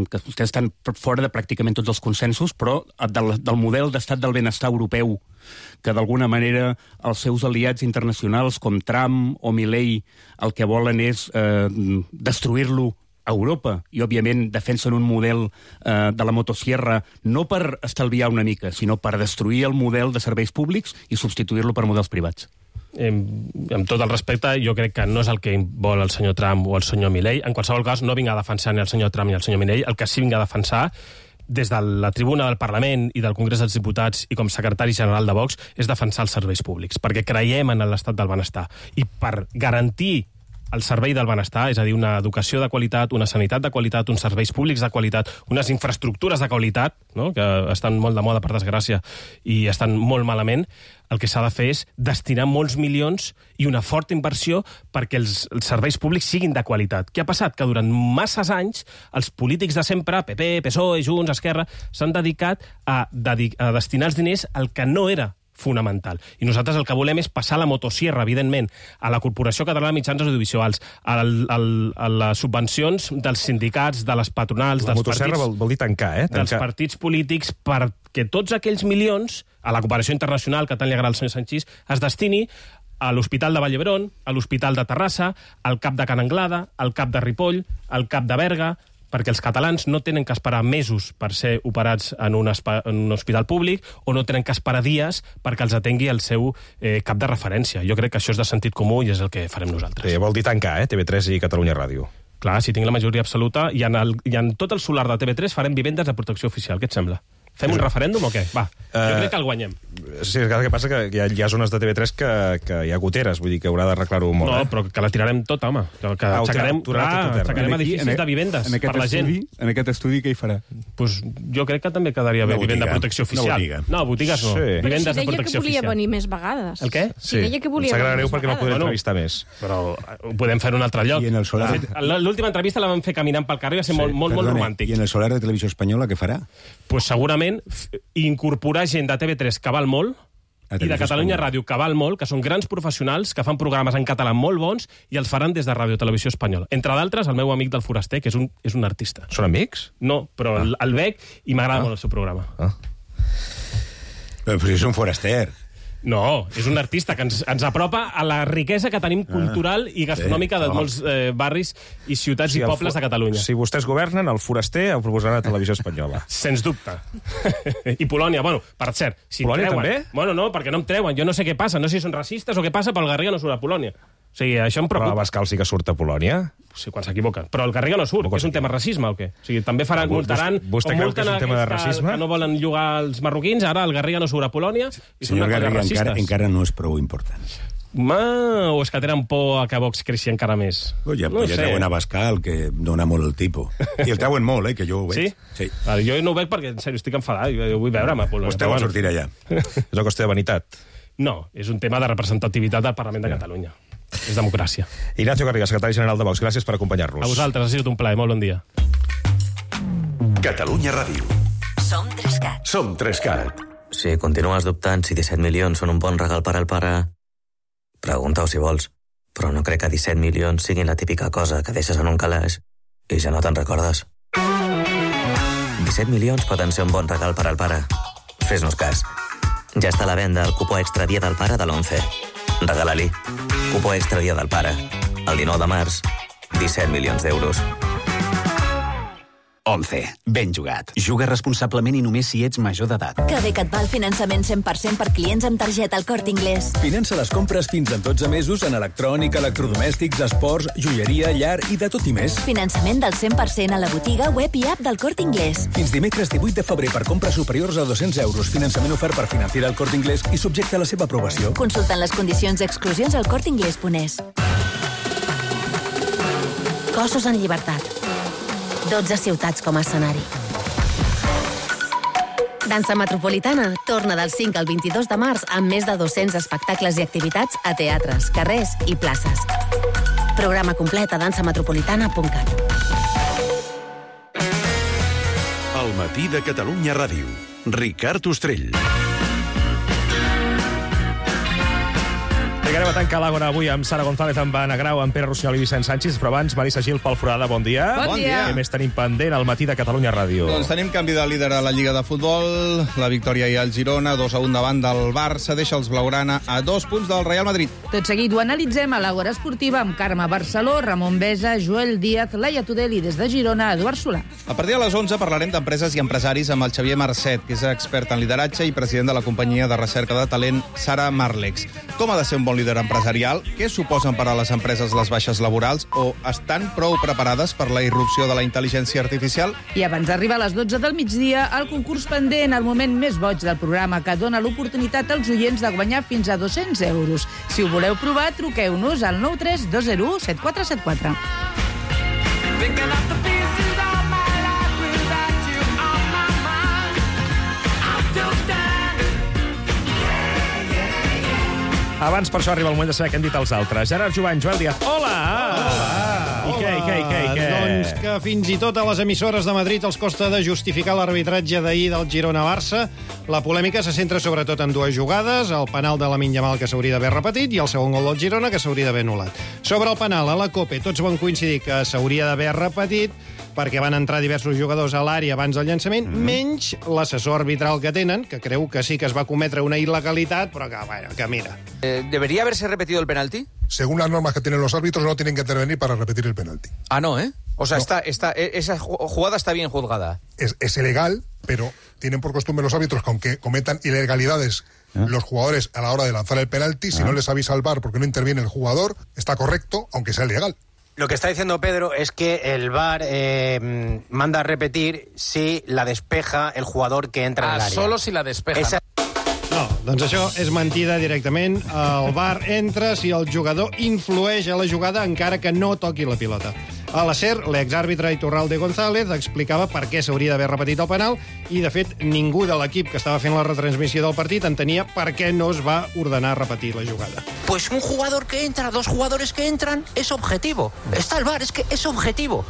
que vostès estan fora de pràcticament tots els consensos, però del, del model d'estat del benestar europeu, que d'alguna manera els seus aliats internacionals, com Trump o Milei, el que volen és eh, destruir-lo a Europa, i òbviament defensen un model eh, de la motosierra no per estalviar una mica, sinó per destruir el model de serveis públics i substituir-lo per models privats. Eh, amb tot el respecte, jo crec que no és el que vol el senyor Trump o el senyor Milei. En qualsevol cas, no vinc a defensar ni el senyor Trump ni el senyor Milei. El que sí vinc a defensar des de la tribuna del Parlament i del Congrés dels Diputats i com secretari general de Vox és defensar els serveis públics, perquè creiem en l'estat del benestar. I per garantir el servei del benestar, és a dir, una educació de qualitat, una sanitat de qualitat, uns serveis públics de qualitat, unes infraestructures de qualitat, no?, que estan molt de moda, per desgràcia, i estan molt malament, el que s'ha de fer és destinar molts milions i una forta inversió perquè els, els serveis públics siguin de qualitat. Què ha passat? Que durant masses anys els polítics de sempre, P P, P S O E, Junts, Esquerra, s'han dedicat a, dedic a destinar els diners al que no era fonamental. I nosaltres el que volem és passar la motosierra, evidentment, a la Corporació Catalana de Mitjans Audiovisuals, al, al, a les subvencions dels sindicats, de les patronals, la dels motosierra partits... vol, vol dir tancar, eh? Tancar. Dels partits polítics, perquè tots aquells milions, a la cooperació internacional, que tant li agrada al senyor Sanchis, es destini a l'Hospital de Vall d'Hebron, a l'Hospital de Terrassa, al CAP de Can Anglada, al CAP de Ripoll, al CAP de Berga, perquè els catalans no tenen que esperar mesos per ser operats en un, en un hospital públic o no tenen que esperar dies perquè els atengui el seu eh, cap de referència. Jo crec que això és de sentit comú i és el que farem nosaltres. Sí, vol dir tancar, eh? T V tres i Catalunya Ràdio. Clar, si tinc la majoria absoluta i en, el, i en tot el solar de T V tres farem vivendes de protecció oficial. Què et sembla? Fem un referèndum o què? Va, jo uh, crec que el guanyem. Sí, el que passa que hi ha, hi ha zones de T V tres que, que hi ha goteres, vull dir que haurà d'arreglar-ho molt. No, eh? però que la tirarem tota, home. Que, que ah, aixecarem, clar, aixecarem edificis en, de vivendes en per la gent. Estudi, en aquest estudi què hi farà? Pues jo crec que també quedaria bé vivenda de protecció oficial. Botiga. No, botigues no. Sí. Vivendes si de protecció oficial. Però si deia que volia venir més vegades. El què? Si deia que volia venir venir més perquè no podré entrevistar més. Però ho podem fer en un altre lloc. I en el solar? L'última entrevista la vam fer caminant pel carrer i va ser sí, molt, molt, molt romàntic. I en el solar de Televisió Espanyola què farà? Pues segurament incorporar gent de T V tres que val molt i de Catalunya Ràdio que val molt, que són grans professionals, que fan programes en català molt bons i els faran des de Ràdio Televisió Espanyola. Entre d'altres, el meu amic del Foraster, que és un, és un artista. Són amics? No, però ah. el, el veig i m'agrada ah. molt el seu programa. Ah. Però, però és un foraster. No, és un artista que ens, ens apropa a la riquesa que tenim cultural i gastronòmica de molts eh, barris i ciutats sí, i pobles de Catalunya. Si vostès governen, el Foraster el proposaran a Televisió Espanyola. Sens dubte. I Polònia, bueno, per cert... Si Polònia treuen, també? Bueno, no, perquè no em treuen. Jo no sé què passa, no sé si són racistes o què passa, però el Garriga no surt a Polònia. O sigui, això em preocupa. Però Abascal sí que surt a Polònia? Sí, quan s'equivoca. Però el Garriga no surt, que és un tema de racisme o què? O sigui, també faran, multaran... Vostè creu que és un tema de racisme? Que no volen llogar els marroquins, ara el Garriga no surt a Polònia i són Senyor Garriga, encara, encara no és prou important. Ma, o és que tenen por a que Vox creixi encara més? Oh, ja no ja treuen Abascal, que dona molt el tipus. I el treuen molt, eh, que jo ho veig. Sí? Sí. Vale, jo no ho veig perquè, en sèrio, estic enfadat. Jo vull veure'm a Polònia. Vostè vol sortir allà. És una qüestió de vanitat. No, és un tema de representativitat del Parlament de Catalunya. És democràcia. Ignacio Garriga, secretari general de Vox, gràcies per acompanyar-nos. A vosaltres, ha sigut un plaer, molt bon dia. Catalunya Ràdio. Som Trescat. Som Trescat. Si continues dubtant si disset milions són un bon regal per al pare, pregunta-ho si vols, però no crec que disset milions siguin la típica cosa que deixes en un calaix i ja no te'n recordes. disset milions poden ser un bon regal per al pare. Fes-nos cas. Ja està a la venda el cupó extra Dia del Pare de l'once. Regala-li. Cupó extra Dia del Pare. El dinou de març, disset milions d'euros. once. Ben jugat. Juga responsablement i només si ets major d'edat. Que bé que et va el finançament cent per cent per clients amb targeta al Corte Inglés. Finança les compres fins a dotze mesos en electrònica, electrodomèstics, esports, joieria, llar i de tot i més. Finançament del cent per cent a la botiga, web i app del Corte Inglés. Fins dimecres divuit de febrer per compres superiors a dos-cents euros. Finançament ofert per Financiera al Corte Inglés i subjecte a la seva aprovació. Consultant les condicions i exclusions al corte inglés punt es. Cossos en llibertat. dotze ciutats com a escenari. Dansa Metropolitana torna del cinc al vint-i-dos de març amb més de dos-cents espectacles i activitats a teatres, carrers i places. Programa complet a dansa metropolitana punt cat. El matí de Catalunya Ràdio. Ricard Ostrell. Arribarem a tancar l'Àgora avui amb Sara González, amb Anna Grau, amb Pere Rossinyol i Vicent Sánchez, però abans Marisa Gil, Pol Forada, bon dia. Bon dia. Què més tenim pendent al matí de Catalunya Ràdio? Doncs tenim canvi de líder a la Lliga de Futbol, la victòria hi ha al Girona, dos a un davant del Barça, deixa els blaugrana a dos punts del Real Madrid. Tot seguit ho analitzem a l'Àgora Esportiva amb Carme Barceló, Ramon Besa, Joel Díaz, Laia Tudel i des de Girona, Eduard Solà. A partir de les onze parlarem d'empreses i empresaris amb el Xavier Marcet, que és expert en lideratge i president de la companyia de recerca de talent Sara Marlex. Com ha de ser un bon líder empresarial? Què suposen per a les empreses les baixes laborals o estan prou preparades per la irrupció de la intel·ligència artificial? I abans d'arribar a les dotze del migdia, el concurs pendent, el moment més boig del programa que dona l'oportunitat als oients de guanyar fins a dos-cents euros. Si ho voleu provar, truqueu-nos al nou tres dos zero u set quatre set quatre. Abans, per això, arriba el moment de saber què han dit els altres. Gerard Jovany, Joel Díaz. Hola! Hola! I què, i què, i què, i què? Doncs que fins i tot a les emissores de Madrid els costa de justificar l'arbitratge d'ahir del Girona-Barça. La polèmica se centra sobretot en dues jugades, el penal de Lamine Yamal que s'hauria d'haver repetit i el segon gol del Girona que s'hauria d'haver anul·lat. Sobre el penal, a la COPE tots van coincidir que s'hauria d'haver repetit perquè van entrar diversos jugadors a l'àrea abans del llançament, mm. menys l'assessor arbitral que tenen, que creu que sí que es va cometre una il·legalitat, però que, bueno, que mira. Eh, ¿Debería haberse repetido el penalti? Según las normas que tienen los árbitros, no tienen que intervenir para repetir el penalti. Ah, no, ¿eh? O sea, no. está, está, esa jugada está bien juzgada. Es, es ilegal, pero tienen por costumbre los árbitros que aunque cometan ilegalidades ¿Eh? los jugadores a la hora de lanzar el penalti, si ¿Eh? no les avisa al V A R porque no interviene el jugador, está correcto, aunque sea ilegal. Lo que está diciendo Pedro es que el V A R eh, manda a repetir si la despeja el jugador que entra ah, en l'àrea. Solo si la despeja. Esa... No, doncs això és mentida directament. El V A R entra si el jugador influeix a la jugada encara que no toqui la pilota. A la SER, l'exàrbitre Iturralde González explicava per què s'hauria d'haver repetit el penal i, de fet, ningú de l'equip que estava fent la retransmissió del partit entenia per què no es va ordenar repetir la jugada. Pues un jugador que entra, dos jugadores que entran, es objetivo. Está el V A R, es que es objetivo.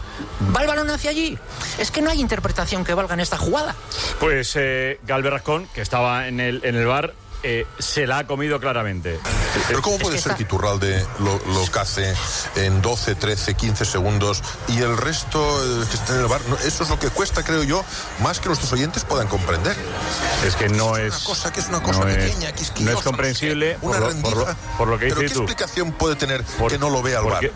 Va el balón hacia allí. Es que no hay interpretación que valga en esta jugada. Pues eh, Galvez Rascón, que estaba en el, en el V A R, Eh, se la ha comido claramente. Pero ¿cómo puede ser que Iturralde lo, lo cace en doce, trece, quince segundos y el resto eh, que está en el V A R? No, eso es lo que cuesta, creo yo, más que nuestros oyentes puedan comprender. Es que no es... es una cosa que es una cosa no pequeña, es, quisquillosa. No es comprensible no sé, por, lo, por, lo, por lo que dices tú. ¿Pero qué explicación puede tener por, que no lo vea el V A R?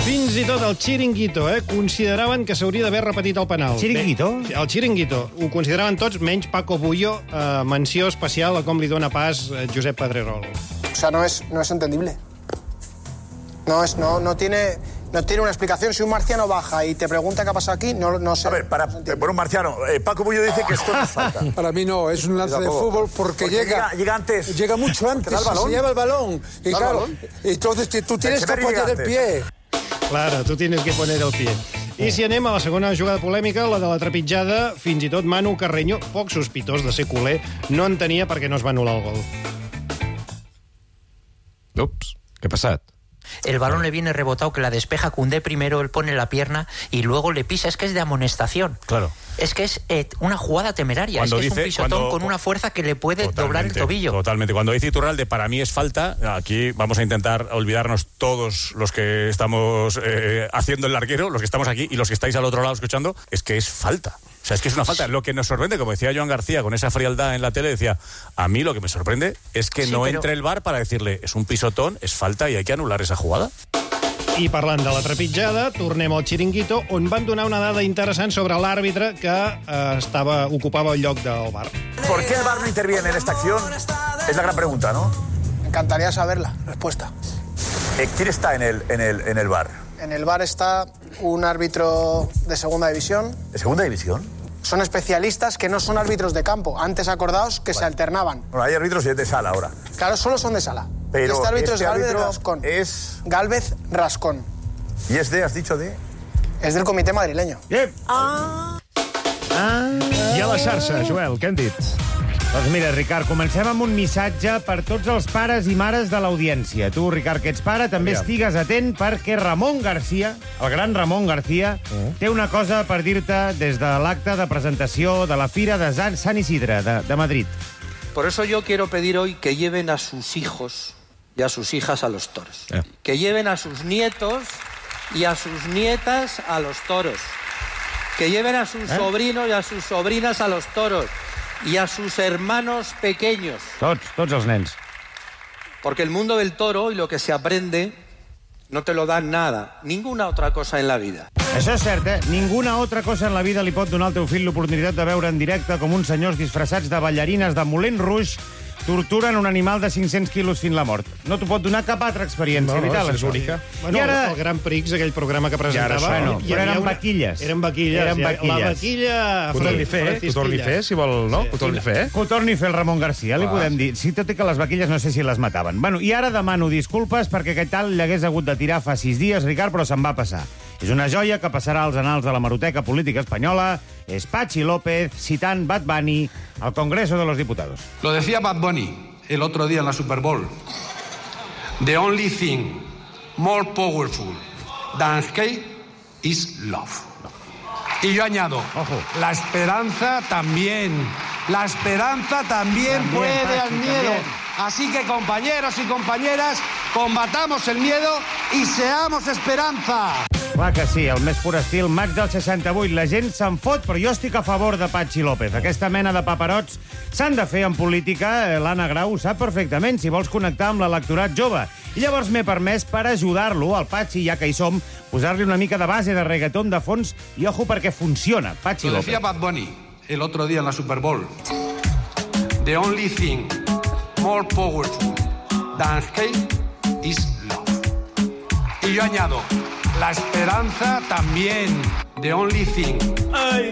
Fins i tot el Chiringuito, eh, consideraven que s'hauria d'haver repetit el penal. Chiringuito? Bé, el Chiringuito. Ho consideraven tots, menys Paco Bullo, eh, menció especial a com li dona pas eh, Josep Pedrerol. O sea, no es, no es entendible. No, es, no, no, tiene, no tiene una explicación. Si un marciano baja y te pregunta qué ha pasado aquí, no, no sé. A ver, para, no por un marciano, eh, Paco Bullo dice que esto no es falta. Para mí no, es un lance de fútbol porque, porque llega, llega... Llega antes. Llega mucho antes, el balón? se lleva el balón. Y ¿El claro, balón? entonces tú tienes que poner el pie. Claro, tu tienes que poner el pie. I si anem a la segona jugada polèmica, la de la trepitjada, fins i tot Manu Carreño, poc sospitós de ser culer, no entenia per què no es va anul·lar el gol. Ups, què ha passat? El balón le viene rebotado, que la despeja Koundé primero, él pone la pierna y luego le pisa. Es que es de amonestación. Claro. Es que es eh, una jugada temeraria. Cuando es que dice, es un pisotón cuando, con una fuerza que le puede doblar el tobillo. Totalmente. Cuando dice Iturralde, para mí es falta, aquí vamos a intentar olvidarnos todos los que estamos eh, haciendo el larguero, los que estamos aquí y los que estáis al otro lado escuchando, es que es falta. O sea, es que es una falta. Lo que nos sorprende, como decía Joan García con esa frialdad en la tele, decía, a mí lo que me sorprende es que sí, no pero... entre el V A R para decirle, es un pisotón, es falta y hay que anular esa jugada. I parlant de la trepitjada, tornem al Chiringuito, on van donar una dada interessant sobre l'àrbitre que eh, estava, ocupava el lloc del V A R. ¿Por qué el V A R no interviene en esta acción? Es la gran pregunta, ¿no? Me encantaría saberla, respuesta. Eh, ¿Quién está en el, en, el, en el V A R? En el V A R está un árbitro de segunda división. ¿De segunda división? Son especialistas que no son árbitros de campo. Antes, acordaos, que vale. se alternaban. Bueno, hay árbitros de sala ahora. Claro, solo son de sala. Pero este árbitro este es Galvez árbitro Rascón. Es... Galvez Rascón. ¿Y es de, has dicho de...? Es del comité madrileño. Bien. Ah. Ah. I a la xarxa, Joel, què han dit? Doncs mira, Ricard, comencem amb un missatge per tots els pares i mares de l'audiència. Tu, Ricard, que ets pare, també Aviam. estigues atent perquè Ramon García, el gran Ramon García, uh. té una cosa per dir-te des de l'acte de presentació de la Fira de Sant Isidre de, de Madrid. Por eso yo quiero pedir hoy que lleven a sus hijos y a sus hijas a los toros. Eh. Que lleven a sus nietos y a sus nietas a los toros. Que lleven a sus ¿Eh? sobrinos y a sus sobrinas a los toros. Y a sus hermanos pequeños. Tots, tots els nens. Porque el mundo del toro y lo que se aprende no te lo dan nada, ninguna otra cosa en la vida. Això és cert, eh? Ninguna altra cosa en la vida li pot donar al teu fill l'oportunitat de veure en directe com uns senyors disfressats de ballarines de Moulin Rouge torturen un animal de cinc-cents quilos fins la mort. No t'ho pot donar cap altra experiència No, no, vital. és això. única. Bueno, I ara... el Gran Prix, aquell programa que presentava... I ara, bueno, hi però havia eren una- vaquilles. Eren vaquilles. Eren ja. vaquilles. La vaquilla... Que ho torni a fer, eh? Que ho torni a fer, si vol, no? Que ho torni a fer, eh? Que ho torni a fer el Ramon García, li Clar. podem dir. Sí, tot i que les vaquilles no sé si les mataven. Bueno, i ara demano disculpes perquè aquest tal l'hagués hagut de tirar fa sis dies, Ricard, però se'n va passar. És una joia que passarà als anals de la hemeroteca política espanyola. És Patxi López citant Bad Bunny al Congreso de los Diputados. Lo decía Bad Bunny el otro día en la Super Bowl. The only thing more powerful than hate is love. Y yo añado, la esperanza también. La esperanza también, También, puede al Pachi, miedo. también. Así que, compañeros y compañeras, combatamos el miedo y seamos esperanza. Clar que sí, el més pur estil, maig del seixanta-vuit. La gent se'n fot, però jo estic a favor de Patxi López. Aquesta mena de paperots s'han de fer en política. L'Anna Grau ho sap perfectament, si vols connectar amb l'electorat jove. I llavors m'he permès, per ajudar-lo, al Patxi, ja que hi som, posar-li una mica de base de reggaeton de fons i ojo perquè funciona. Patxi Lo López. decía Bad Bunny el otro día en la Super Bowl. The only thing more powerful than hate is love. Y yo añado, la esperanza también. The only thing,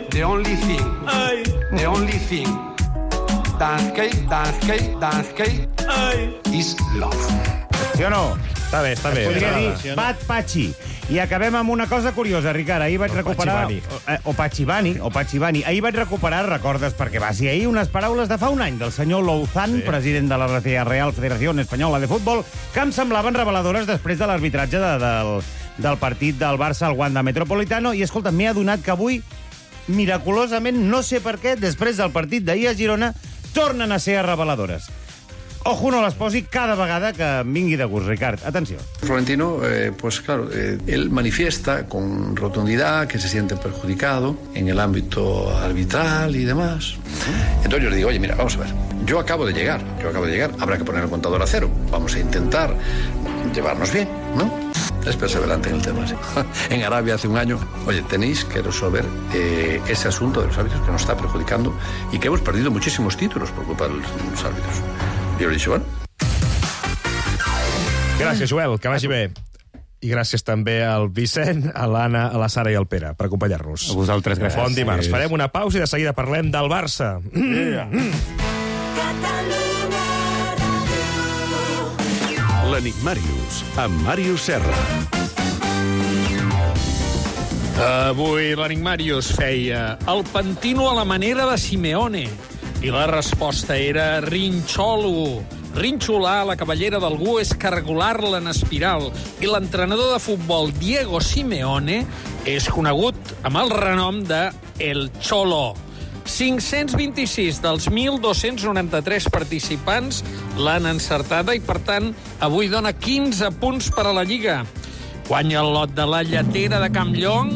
the only thing, the only thing than hate, than hate, than hate is love. Sí o no? Està bé, està bé. Podria M'agrada. dir Bat Patxi. I acabem amb una cosa curiosa, Ricard. Ahir vaig O recuperar... Patxibani. O, o Patxibani, o Patxibani. Ahir vaig recuperar, recordes, perquè va ser ahir, unes paraules de fa un any del senyor Louzán, sí. president de la Real Federació Espanyola de Futbol, que em semblaven reveladores després de l'arbitratge de, del, del partit del Barça al Wanda Metropolitano. I, escolta, m'he adonat que avui, miraculosament, no sé per què, després del partit d'ahir a Girona, tornen a ser reveladores. Ojo, no les posi cada vegada que em vingui de gust, Ricard. Atenció. Florentino, eh, pues claro, eh, él manifiesta con rotundidad que se siente perjudicado en el ámbito arbitral y demás. Entonces yo le digo, oye, mira, vamos a ver, yo acabo de llegar, yo acabo de llegar, habrá que poner el contador a cero, vamos a intentar llevarnos bien, ¿no? Es perseverante en el tema, sí. En Arabia hace un año, oye, tenéis que resolver eh, ese asunto de los árbitros que nos está perjudicando y que hemos perdido muchísimos títulos por culpa de los, los árbitros. Jo he dit, bueno. Gràcies, Joel, que vagi bé. I gràcies també al Vicent, a l'Anna, a la Sara i al Pere per acompanyar-nos. A vosaltres, gràcies. Bon dimarts. Farem una pausa i de seguida parlem del Barça. Yeah. L'Enigmàrius, amb Màrius Serra. Avui l'Enigmàrius feia el pentino a la manera de Simeone. I la resposta era rinxolo. Rinxolar la cabellera d'algú és cargolar-la en espiral. I l'entrenador de futbol Diego Simeone és conegut amb el renom de El Cholo. cinc-cents vint-i-sis dels mil dos-cents noranta-tres participants l'han encertada i, per tant, avui dona quinze punts per a la Lliga. Guanya el lot de la lletera de Campllong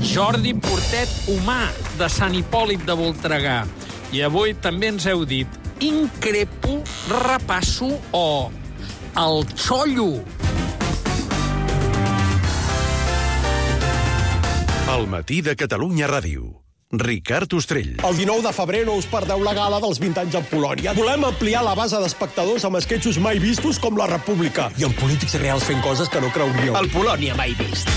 Jordi Portet Humà, de Sant Hipòlit de Voltregà. I avui també ens heu dit increpo, repasso o el xollo. El matí de Catalunya Ràdio. Ricard Ostrell. El dinou de febrer no us perdeu la gala dels vint anys en Polònia. Volem ampliar la base d'espectadors amb esquetxos mai vistos com La República. I amb polítics reals fent coses que no creuríeu. El Polònia mai vist.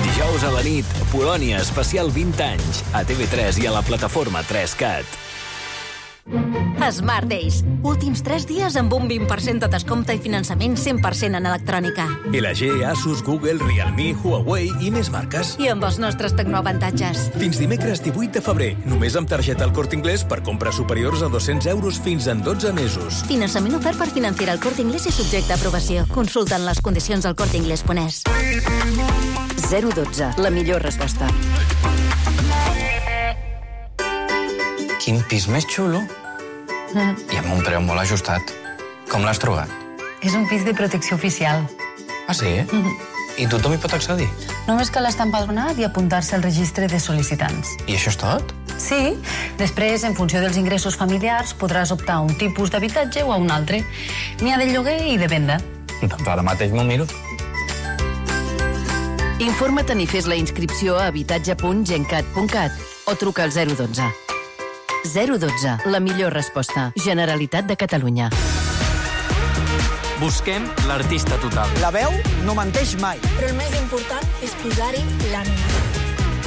Dijous a la nit, Polònia especial vint anys, a T V tres i a la plataforma tres cat. Smart Days. Últims tres dies amb un vint per cent de descompte i finançament cent per cent en electrònica. L G, Asus, Google, Realme, Huawei i més marques. I amb els nostres tecnoavantatges. Fins dimecres divuit de febrer. Només amb targeta al Corte Inglés per compres superiors a dos-cents euros fins en dotze mesos. Finançament ofert per Financiera al Corte Inglés i subjecte a aprovació. Consulten les condicions al corte inglés punt es. zero dotze. La millor resposta. Quin pis més xulo. Mm. I amb un preu molt ajustat. Com l'has trobat? És un pis de protecció oficial. Ah, sí? Mm. I tothom hi pot accedir? Només cal estar empadronat i apuntar-se al registre de sol·licitants. I això és tot? Sí. Després, en funció dels ingressos familiars, podràs optar a un tipus d'habitatge o a un altre. N'hi ha de lloguer i de venda. Doncs ara mateix m'ho miro. Informa't i fes la inscripció a habitatge punt gencat punt cat o truca al zero dotze. zero dotze. La millor resposta. Generalitat de Catalunya. Busquem l'artista total. La veu no menteix mai. Però el més important és posar-hi l'ànima.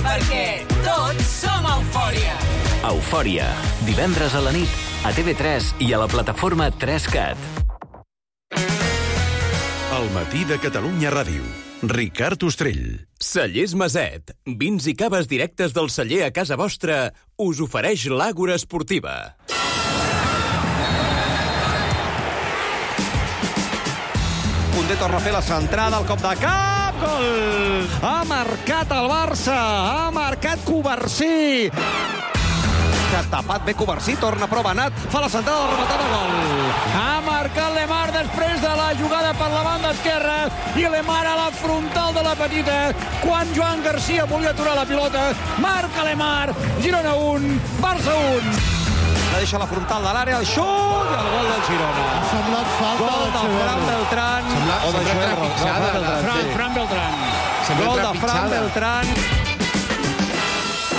Perquè tots som Eufòria. Eufòria. Divendres a la nit, a T V tres i a la plataforma tres cat. El matí de Catalunya Ràdio. Ricard Ostrell. Cellers Maset. Vins i caves directes del celler a casa vostra us ofereix l'Àgora Esportiva. Koundé torna a fer la centrada, el cop de cap, gol! Ha marcat el Barça, ha marcat Covarsí. Que ha tapat bé Covarsí, torna a prova Nat, fa la centrada, la rematada, gol! Ha marcat Lemar després de la jugada per la banda esquerra i Lemar a la frontal de la petita quan Joan Garcia volia aturar la pilota. Marca Lemar, Girona un, Barça un. La deixa a la frontal de l'àrea, el xut i el gol del Girona. Ha semblat falta gol de Fran Beltrán. Sembla, o de sembla Joel Ro- trepitjada. no, Fran Beltrán, Fran, sí. Fran Beltrán. Gol de Fran Beltrán.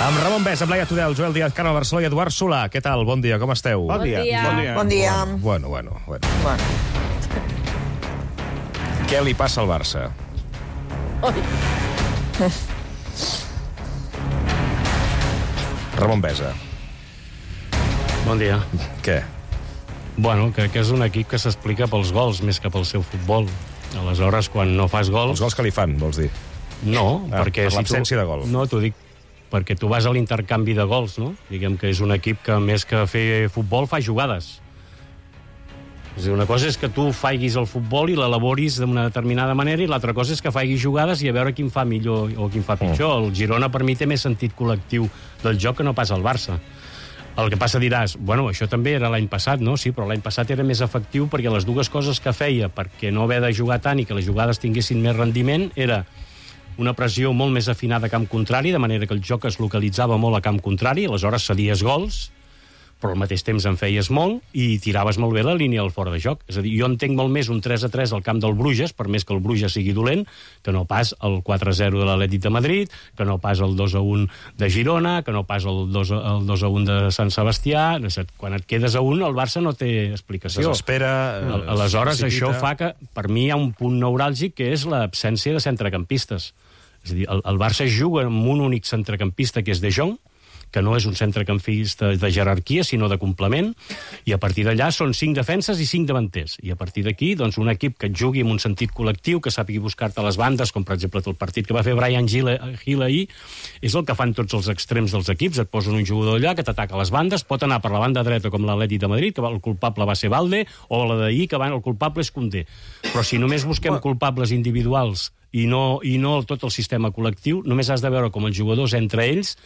Amb Ramon Bès, amb Laia Tudel, Joel Díaz, Carme Barceló i Eduard Solà. Què tal? Bon dia, com esteu? Bon dia. Bon dia. Bon dia. Bueno, bueno, bueno. Bueno. Què li passa al Barça? Ramon Besa. Bon dia. Què? Bueno, crec que és un equip que s'explica pels gols més que pel seu futbol. Aleshores, quan no fas gols... Els gols que li fan, vols dir? No, ah, perquè... Per l'absència tu... de gol. No, t'ho dic perquè tu vas a l'intercanvi de gols, no? Diguem que és un equip que més que fer futbol fa jugades. És a dir, una cosa és que tu faiguis el futbol i l'elaboris d'una determinada manera i l'altra cosa és que faiguis jugades i a veure quin fa millor o quin fa pitjor. Mm. El Girona per mi té més sentit col·lectiu del joc que no pas el Barça. El que passa diràs, bueno, això també era l'any passat, no? Sí, però l'any passat era més efectiu perquè les dues coses que feia perquè no haver de jugar tant i que les jugades tinguessin més rendiment era una pressió molt més afinada a camp contrari, de manera que el joc es localitzava molt a camp contrari, aleshores cedies gols, però al mateix temps en feies molt i tiraves molt bé la línia al fora de joc. És a dir, jo entenc molt més un tres a tres al camp del Bruges, per més que el Bruges sigui dolent, que no pas el quatre a zero de l'Atlètic de Madrid, que no pas el dos a un de Girona, que no pas el dos a un de Sant Sebastià. Quan et quedes a un, el Barça no té explicació. Desespera. Aleshores, això fa que, per mi, hi ha un punt neuràlgic que és l'absència de centrecampistes. És a dir, el, el Barça juga amb un únic centrecampista, que és De Jong, que no és un centrecampista de jerarquia, sinó de complement, i a partir d'allà són cinc defenses i cinc davanters. I a partir d'aquí, doncs, un equip que et jugui amb un sentit col·lectiu, que sàpigui buscar-te les bandes, com per exemple el partit que va fer Brian Hill, Hill ahir, és el que fan tots els extrems dels equips. Et posen un jugador allà que t'ataca les bandes, pot anar per la banda dreta com l'Atlètic de Madrid, que el culpable va ser Valde, o la d'ahir, que el culpable és Koundé. Però si només busquem culpables individuals i no, i no tot el sistema col·lectiu, només has de veure com els jugadors entre ells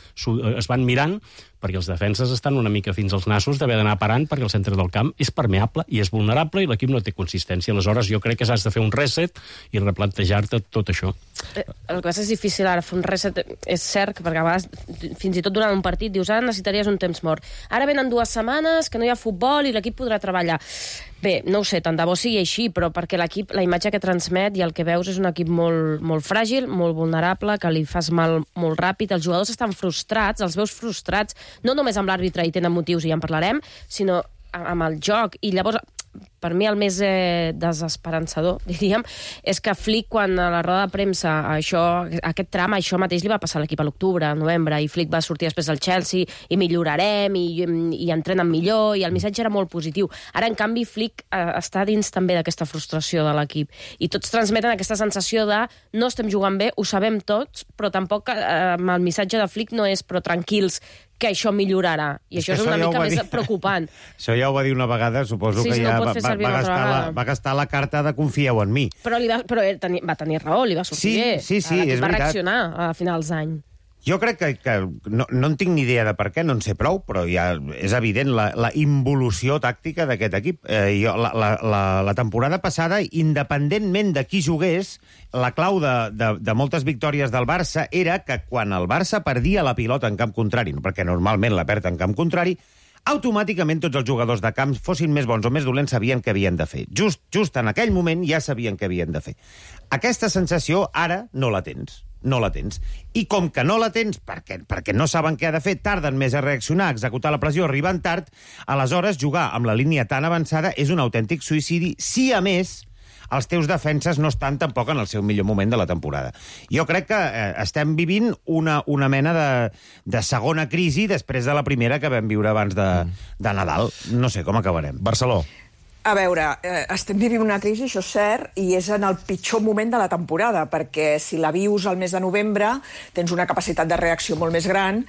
es van mirant, perquè els defenses estan una mica fins als nassos d'haver d'anar parant perquè el centre del camp és permeable i és vulnerable i l'equip no té consistència. Aleshores, jo crec que has de fer un reset i replantejar-te tot això. El que és difícil ara fer un reset, és cert, perquè a vegades, fins i tot durant un partit, dius, ara necessitaries un temps mort. Ara venen dues setmanes que no hi ha futbol i l'equip podrà treballar. Bé, no ho sé, tant de bo sigui així, però perquè l'equip, la imatge que transmet i el que veus és un equip molt, molt fràgil, molt vulnerable, que li fas mal molt ràpid. Els jugadors estan frustrats, els veus frustrats, no només amb l'àrbitre, i tenen motius, i ja en parlarem, sinó amb el joc. I llavors, per mi el més eh, desesperançador, diríem, és que Flick, quan a la roda de premsa, això, aquest tram, això mateix li va passar a l'equip a l'octubre, a novembre, i Flick va sortir després del Chelsea, i millorarem, i, i entrenen millor, i el missatge era molt positiu. Ara, en canvi, Flick eh, està dins també d'aquesta frustració de l'equip, i tots transmeten aquesta sensació de no estem jugant bé, ho sabem tots, però tampoc eh, el missatge de Flick no és però tranquils, que això millorarà. I això és, és una ja mica més dir... preocupant. Això ja ho va dir una vegada, suposo sí, que sí, ja no va, va, va, gastar la, va gastar la carta de confieu en mi. Però, li va, però teni, va tenir raó, li va sortir sí, bé. Sí, sí, és va veritat. reaccionar a finals d'any. Jo crec que, que no, no en tinc ni idea de per què, no en sé prou, però ja és evident la, la involució tàctica d'aquest equip. Eh, jo, la, la, la, la temporada passada, independentment de qui jugués, la clau de, de, de moltes victòries del Barça era que quan el Barça perdia la pilota en camp contrari, perquè normalment la perd en camp contrari, automàticament tots els jugadors de camp, fossin més bons o més dolents, sabien què havien de fer. Just, just en aquell moment ja sabien què havien de fer. Aquesta sensació ara no la tens. No la tens. I com que no la tens, perquè, perquè no saben què ha de fer, tarden més a reaccionar, a executar la pressió, arriben tard, aleshores jugar amb la línia tan avançada és un autèntic suïcidi, si a més els teus defenses no estan tampoc en el seu millor moment de la temporada. Jo crec que eh, estem vivint una, una mena de, de segona crisi després de la primera que vam viure abans de, de Nadal. No sé com acabarem. Barceló. A veure, eh, estem vivint una crisi, això és cert, i és en el pitjor moment de la temporada, perquè si la vius al mes de novembre tens una capacitat de reacció molt més gran,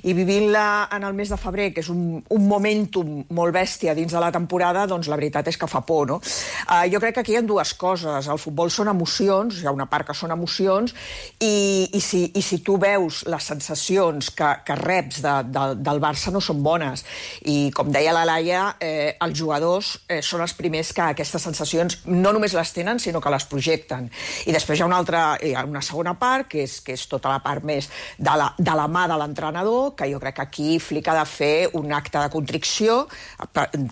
i vivint-la en el mes de febrer, que és un, un momentum molt bèstia dins de la temporada, doncs la veritat és que fa por, no? Eh, jo crec que aquí hi ha dues coses. El futbol són emocions, hi ha una part que són emocions, i, i, si, i si tu veus les sensacions que, que reps de, de, del Barça no són bones. I com deia la Laia, eh, els jugadors eh, són els primers que aquestes sensacions no només les tenen, sinó que les projecten. I després hi ha una altra, hi ha una segona part, que és, que és tota la part més de la, de la mà de l'entrenador, que jo crec que aquí Flick ha de fer un acte de contricció,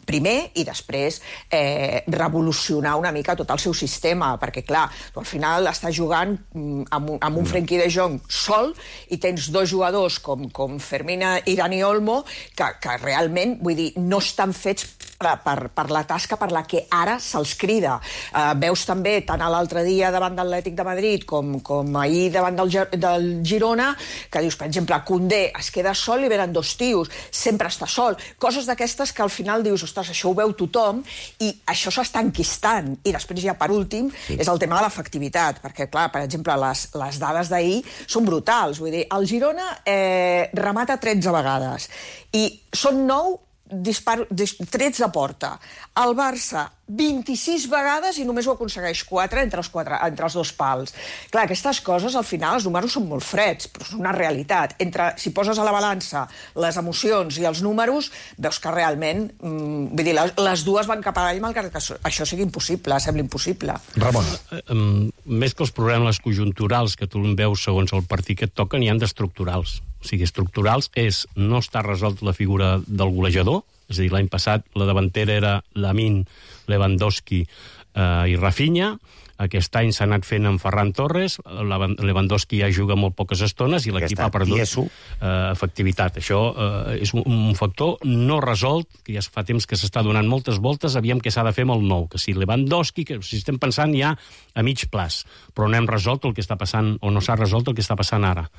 primer, i després eh, revolucionar una mica tot el seu sistema, perquè, clar, tu al final estàs jugant amb un, amb un Frenkie de Jong sol, i tens dos jugadors com, com Fermín i Dani Olmo, que, que realment, vull dir, no estan fets per, per, per la tasca per la que ara se'ls crida. Uh, veus també, tant a l'altre dia davant de l'Atlètic de Madrid com, com ahir davant del, del Girona, que dius, per exemple, Koundé es queda sol i venen dos tios, sempre està sol. Coses d'aquestes que al final dius, ostres, això ho veu tothom, i això s'està enquistant. I després ja, per últim, sí. és el tema de l'efectivitat, perquè, clar, per exemple, les, les dades d'ahir són brutals. Vull dir, el Girona eh, remata tretze vegades, i són nou disparo, dis, trets a porta. El Barça, vint-i-sis vegades, i només ho aconsegueix quatre entre els, quatre, entre els dos pals. Clar, aquestes coses, al final, els números són molt freds, però és una realitat. Entre, si poses a la balança les emocions i els números, veus que realment, mm, vull dir, les, les dues van cap avall, malgrat que això sigui impossible, sembla impossible. Ramon. Um, més que els problemes conjunturals que tu veus segons el partit que et toquen, hi ha d'estructurals. O sigui, estructurals és no està resolt la figura del golejador, és a dir, l'any passat la davantera era Lamine, Lewandowski eh, i Rafinha. Aquest any s'ha anat fent amb Ferran Torres, Lewandowski ja juga molt poques estones i l'equip ha perdut eh, efectivitat. Això eh, és un, un factor no resolt, que ja fa temps que s'està donant moltes voltes, aviam què s'ha de fer amb el nou, que si Lewandowski, que si estem pensant ja a mig plaç, però no hem resolt el que està passant, o no s'ha resolt el que està passant ara.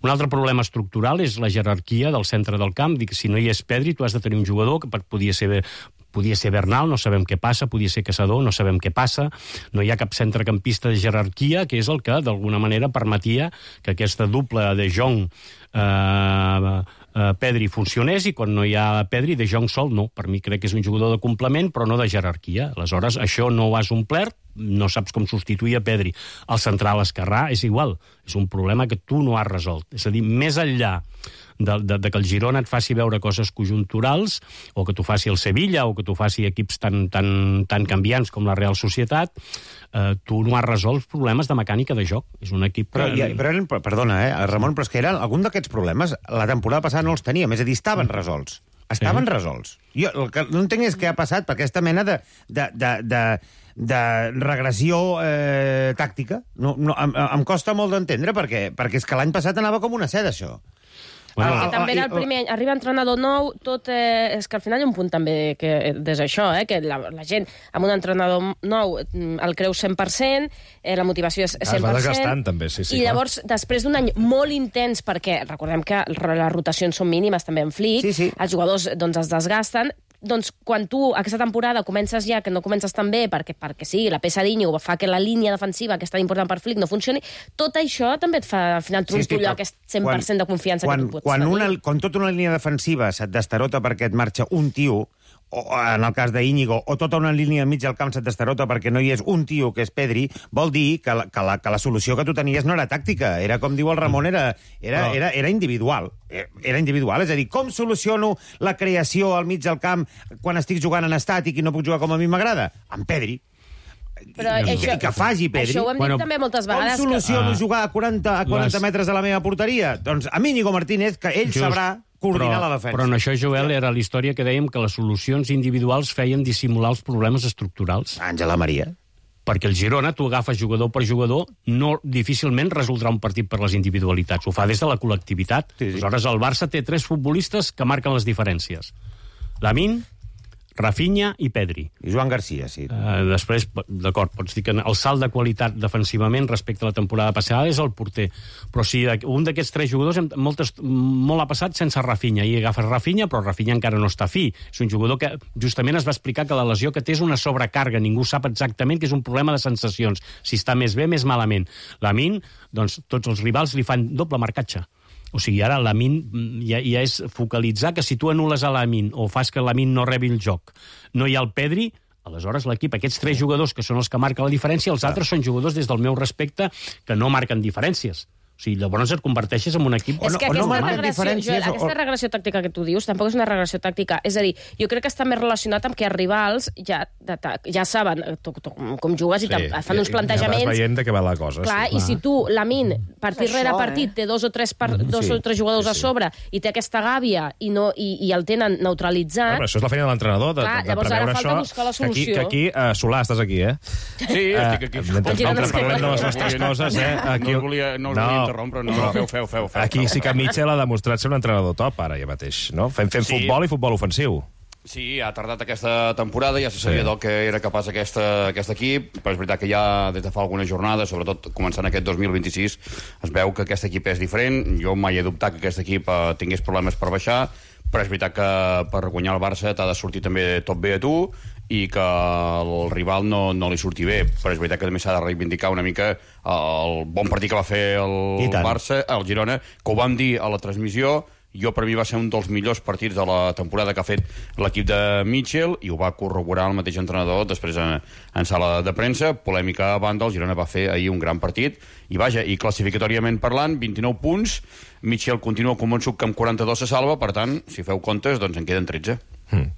Un altre problema estructural és la jerarquia del centre del camp, dic, si no hi és Pedri, tu has de tenir un jugador que podia ser... Podia ser Bernal, no sabem què passa, podia ser Caçador, no sabem què passa, no hi ha cap centrecampista de jerarquia, que és el que, d'alguna manera, permetia que aquesta dupla de Jong eh, eh, Pedri funcionés, i quan no hi ha Pedri, de Jong sol no. Per mi crec que és un jugador de complement, però no de jerarquia. Aleshores, això no ho has omplert, no saps com substituir a Pedri. El central esquerrà és igual, és un problema que tu no has resolt. És a dir, més enllà de, de, de que el Girona et faci veure coses conjunturals, o que t'ho faci el Sevilla, o que t'ho faci equips tan, tan, tan canviants com la Real Societat, eh, tu no has resolt problemes de mecànica de joc. És un equip... Però, ja, però eren, perdona, eh, Ramon, però és que eren, algun d'aquests problemes la temporada passada no els teníem, és a dir, estaven resolts. Estaven sí. resolts. Jo el que no entenc és què ha passat per aquesta mena de... de, de, de de regressió eh, tàctica. No, no, em, em costa molt d'entendre, perquè, perquè és que l'any passat anava com una seda, això. Bueno, perquè també era el primer any. Arriba entrenador nou, tot... Eh, és que al final hi ha un punt també que des això, eh, que la, la gent amb un entrenador nou el creu cent per cent, eh, la motivació és cent per cent. Es va desgastant, també, sí, sí. I llavors, clar. Després d'un any molt intens, perquè recordem que les rotacions són mínimes també en Flick, sí, sí. Els jugadors doncs, es desgasten, doncs quan tu aquesta temporada comences ja, que no comences tan bé perquè, perquè sí, la peça d'Íñigo fa que la línia defensiva, que és tan important per Flick, no funcioni, tot això també et fa al final trontollar sí, aquest cent per cent quan, de confiança quan, que tu pots quan tenir. Una, quan tota una línia defensiva se't destarota perquè et marxa un tio, o en el cas d'Íñigo, o tota una línia al mig del camp se't destarota perquè no hi és un tio, que és Pedri, vol dir que la, que la, que la solució que tu tenies no era tàctica, era, com diu el Ramon, era, era, no. era, era individual. Era individual, és a dir, com soluciono la creació al mig del camp quan estic jugant en estàtic i no puc jugar com a mi m'agrada? Amb Pedri. Però I, això, i que faci Pedri. Això ho hem dit bueno, també moltes vegades. Com soluciono que... uh, jugar a quaranta, a quaranta les... metres de la meva porteria? Doncs amb Íñigo Martínez, que ell Just, sabrà coordinar però, la defensa. Però en això, Joel, era la història que dèiem que les solucions individuals feien dissimular els problemes estructurals. Àngela Maria. Perquè el Girona, tu agafes jugador per jugador, no difícilment resoldrà un partit per les individualitats. Ho fa des de la col·lectivitat. Sí, sí. Aleshores, el Barça té tres futbolistes que marquen les diferències. Lamine, Rafinha i Pedri. I Joan Garcia, sí. Uh, després, d'acord, pots dir que el salt de qualitat defensivament respecte a la temporada passada és el porter. Però si un d'aquests tres jugadors, moltes, molt ha passat sense Rafinha, i agafes Rafinha, però Rafinha encara no està fi. És un jugador que justament es va explicar que la lesió que té és una sobrecàrrega. Ningú sap exactament que és un problema de sensacions. Si està més bé, més malament. Lamine, doncs tots els rivals li fan doble marcatge. O sigui, ara Lamine ja, ja és focalitzar que si tu anules a Lamine o fas que Lamine no rebi el joc, no hi ha el Pedri, aleshores l'equip, aquests tres jugadors que són els que marquen la diferència, els altres són jugadors, des del meu respecte, que no marquen diferències. O sigui, llavors et converteixes en un equip... És que o no, aquesta, o no regressió, Joel, o... aquesta regressió tàctica que tu dius tampoc és una regressió tàctica. És a dir, jo crec que està més relacionat amb que els rivals ja, ja saben tu, tu, com jugues i sí, fan uns plantejaments... Ja vas veient de què va la cosa. Clar, sí. I si tu, Lamine, partit això, rere partit, eh? té dos o tres, par... dos sí, o tres jugadors sí, sí. a sobre i té aquesta gàbia i, no, i, i el tenen neutralitzat... No, però això és la feina de l'entrenador, de, Clar, de, de llavors preveure ara falta això. buscar la solució. Que aquí, que aquí uh, Solà, estàs aquí, eh? Sí, estic aquí. Uh, mentre nosaltres parlem de les nostres coses, eh? Aquí... No us volia, no us volia interrompre, no, no, feu, feu, feu. feu aquí sí que Mitchell ha demostrat ser un entrenador top, ara ja mateix, no? Fem, fem sí. futbol i futbol ofensiu. Sí, ha tardat aquesta temporada, ja se sabia sí. del que era capaç aquesta, aquest equip, però és veritat que ja des de fa algunes jornades, sobretot començant aquest dos mil vint-i-sis, es veu que aquest equip és diferent. Jo mai he dubtat que aquest equip eh, tingués problemes per baixar, però és veritat que per guanyar el Barça t'ha de sortir també tot bé a tu i que el rival no, no li surti bé, però és veritat que també s'ha de reivindicar una mica el bon partit que va fer el Barça, el Girona, que ho vam dir a la transmissió. Jo, per mi, va ser un dels millors partits de la temporada que ha fet l'equip de Mitchell i ho va corroborar el mateix entrenador després en, en sala de premsa. Polèmica a banda, el Girona va fer ahir un gran partit i vaja, i classificatòriament parlant, vint-i-nou punts, Mitchell continua convençut que amb quaranta-dos se salva, per tant, si feu comptes, doncs en queden tretze. Hmm.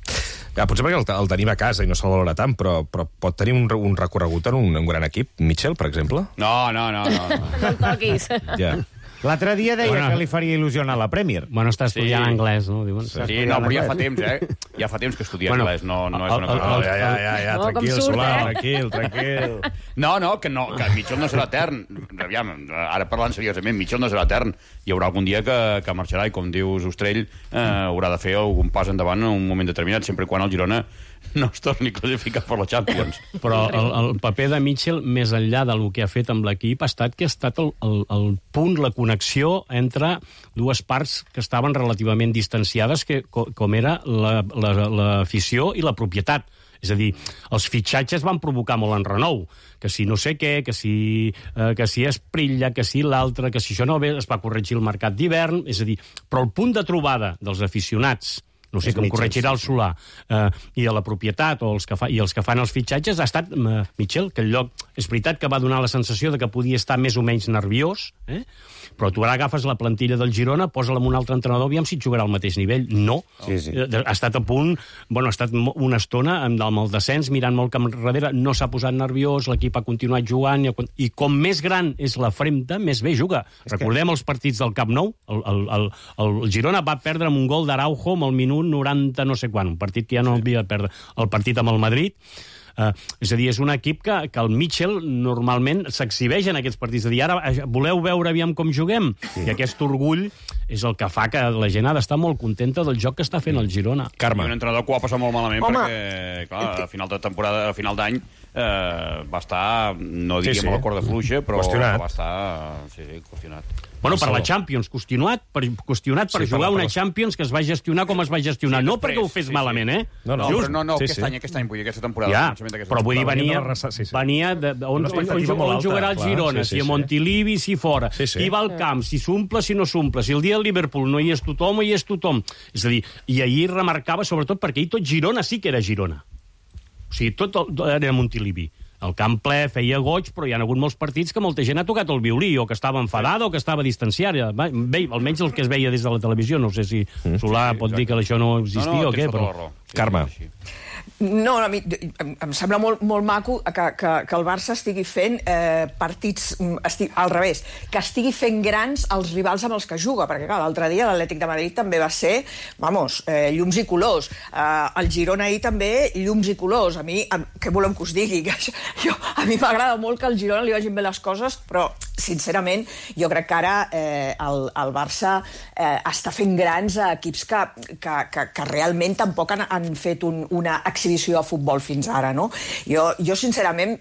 Ja, potser perquè el, el tenim a casa i no se'l valora tant, però, però pot tenir un, un recorregut en un, un gran equip, Mitchell, per exemple? No, no, no. No, no. no el toquis. Ja. L'altre dia deia bueno, que li faria il·lusió anar a la Premier. Bueno, està estudiant sí. anglès, no? Diuen. Sí, sí no, però ja fa temps, eh? Ja fa temps que estudia bueno, anglès, no, no és una cosa... El, el, ja, ja, ja, ja, no, tranquil, surt, Solà, eh? tranquil, tranquil. No, no, que, no, que Mitchell no serà etern. Aviam, ara parlant seriosament, Mitchell no serà etern. Hi haurà algun dia que, que marxarà i, com dius, Ostrell, eh, haurà de fer algun pas endavant en un moment determinat, sempre quan el Girona no es torni a classificar per la Champions. Però el, el paper de Mitchell, més enllà del que ha fet amb l'equip, ha estat que ha estat el, el, el punt, la connexió entre dues parts que estaven relativament distanciades, que, com era l'afició la, la, i la propietat. És a dir, els fitxatges van provocar molt enrenou. Que si no sé què, que si, eh, que si Esprilla, que si l'altre, que si això no ve, es va corregir el mercat d'hivern. És a dir, però el punt de trobada dels aficionats, no sé, que em corregirà el Solà, eh, i a la propietat o els que fa, i els que fan els fitxatges ha estat eh, Mitchell, que el lloc és veritat que va donar la sensació de que podia estar més o menys nerviós, eh? Però tu ara agafes la plantilla del Girona, posa-la amb un altre entrenador, aviam si et jugarà al mateix nivell. No. Sí, sí. Ha estat a punt, bueno, ha estat una estona amb el descens, mirant molt cap enrere, no s'ha posat nerviós, l'equip ha continuat jugant, i com més gran és la fremta, més bé juga. És Recordem que... els partits del Camp Nou, el, el, el, el Girona va perdre amb un gol d'Araujo amb el minut noranta no sé quan, un partit que ja no havia de perdre. El partit amb el Madrid, Uh, és a dir, és un equip que, que el Mitchell normalment s'exhibeix en aquests partits. És a dir, ara voleu veure aviam com juguem? Sí. I aquest orgull és el que fa que la gent ha d'estar molt contenta del joc que està fent el Girona. Carme. I un entrenador que ho ha passat molt malament Home. perquè, clar, a final de temporada, a final d'any, eh, va estar, no diríem sí, sí. a la corda fluixa, però qüestionat. va estar sí, sí, qüestionat. Bueno, per la Champions, qüestionat per, qüestionat per sí, jugar per una Champions que es va gestionar com es va gestionar. Sí, no després, perquè ho fes sí, malament, eh? No, no, Just, no, no sí, aquest sí. any, aquest any, vull dir, aquesta temporada. Ja, però vull dir, venia, sí, sí. venia de, de, on, on, on, on jugarà el Girona, sí, sí, si a Montilivi, si fora, sí, sí. qui va al camp, si s'omple, si no s'omple, si el dia del Liverpool no hi és tothom o hi és tothom. És a dir, i ahir remarcava, sobretot, perquè ahir tot Girona sí que era Girona. O sigui, tot era Montilivi. El camp ple feia goig, però hi ha hagut molts partits que molta gent ha tocat el violí, o que estava enfadada, o que estava distanciada. Bé, almenys el que es veia des de la televisió. No sé si Solà pot dir que això no existia no, no, o què, però... Carme. No, a mi em, em sembla molt, molt maco que, que, que el Barça estigui fent eh, partits estig, al revés, que estigui fent grans els rivals amb els que juga, perquè clar, l'altre dia l'Atlètic de Madrid també va ser, vamos, eh, llums i colors. Eh, el Girona ahir també, llums i colors. A mi, a, què volem que us digui? Que això, jo, a mi m'agrada molt que al Girona li vagin bé les coses, però sincerament, jo crec que ara eh, el, el Barça eh, està fent grans a equips que, que, que, que realment tampoc han, han fet un, una exhibició de futbol fins ara, no? Jo, jo sincerament,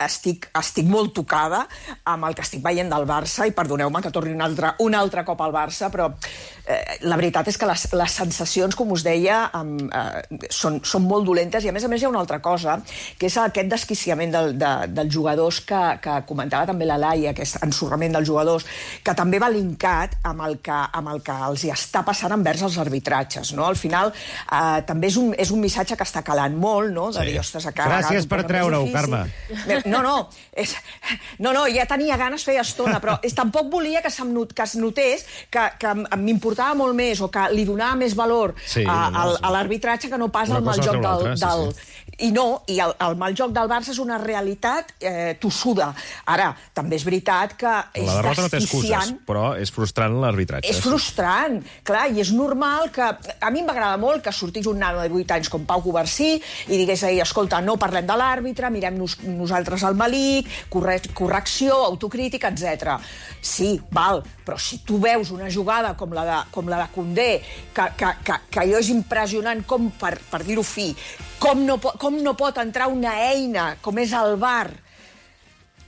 estic, estic molt tocada amb el que estic veient del Barça, i perdoneu-me que torni un altre, un altre cop al Barça, però eh, la veritat és que les, les sensacions, com us deia, amb, eh, són, són molt dolentes, i a més a més hi ha una altra cosa, que és aquest desquiciament del, de, dels jugadors que, que comentava també la Laia, aquest ensorrament dels jugadors, que també va linkat amb el que, amb el que els hi està passant envers els arbitratges, no? Al final, eh, també és un, és un missatge que està calant molt, no? De sí. dir, ostres, a cada Gràcies per treure-ho, Carme. No, no, és, no, no, ja tenia ganes feia estona, però és, tampoc volia que, not, que es notés que, que m'importava molt més, o que li donava més valor sí, a, no, no, a l'arbitratge que no pas al mal joc del... del sí, sí. I no, i el, el mal joc del Barça és una realitat eh, tossuda. Ara, també és veritat que és la derrota no té excuses, però és frustrant l'arbitratge. És frustrant, clar, i és normal que... A mi m'agrada molt que sortís un nano de vuit anys com Pau Covarsí i digués ahir, escolta, no parlem de l'àrbitre, mirem nos, nosaltres al malic, corre, correcció, autocrítica, etcètera. Sí, val, però si tu veus una jugada com la de, com la de Koundé, que, que, que, que allò és impressionant com, per, per dir-ho fi, com no, com no pot entrar una eina com és el V A R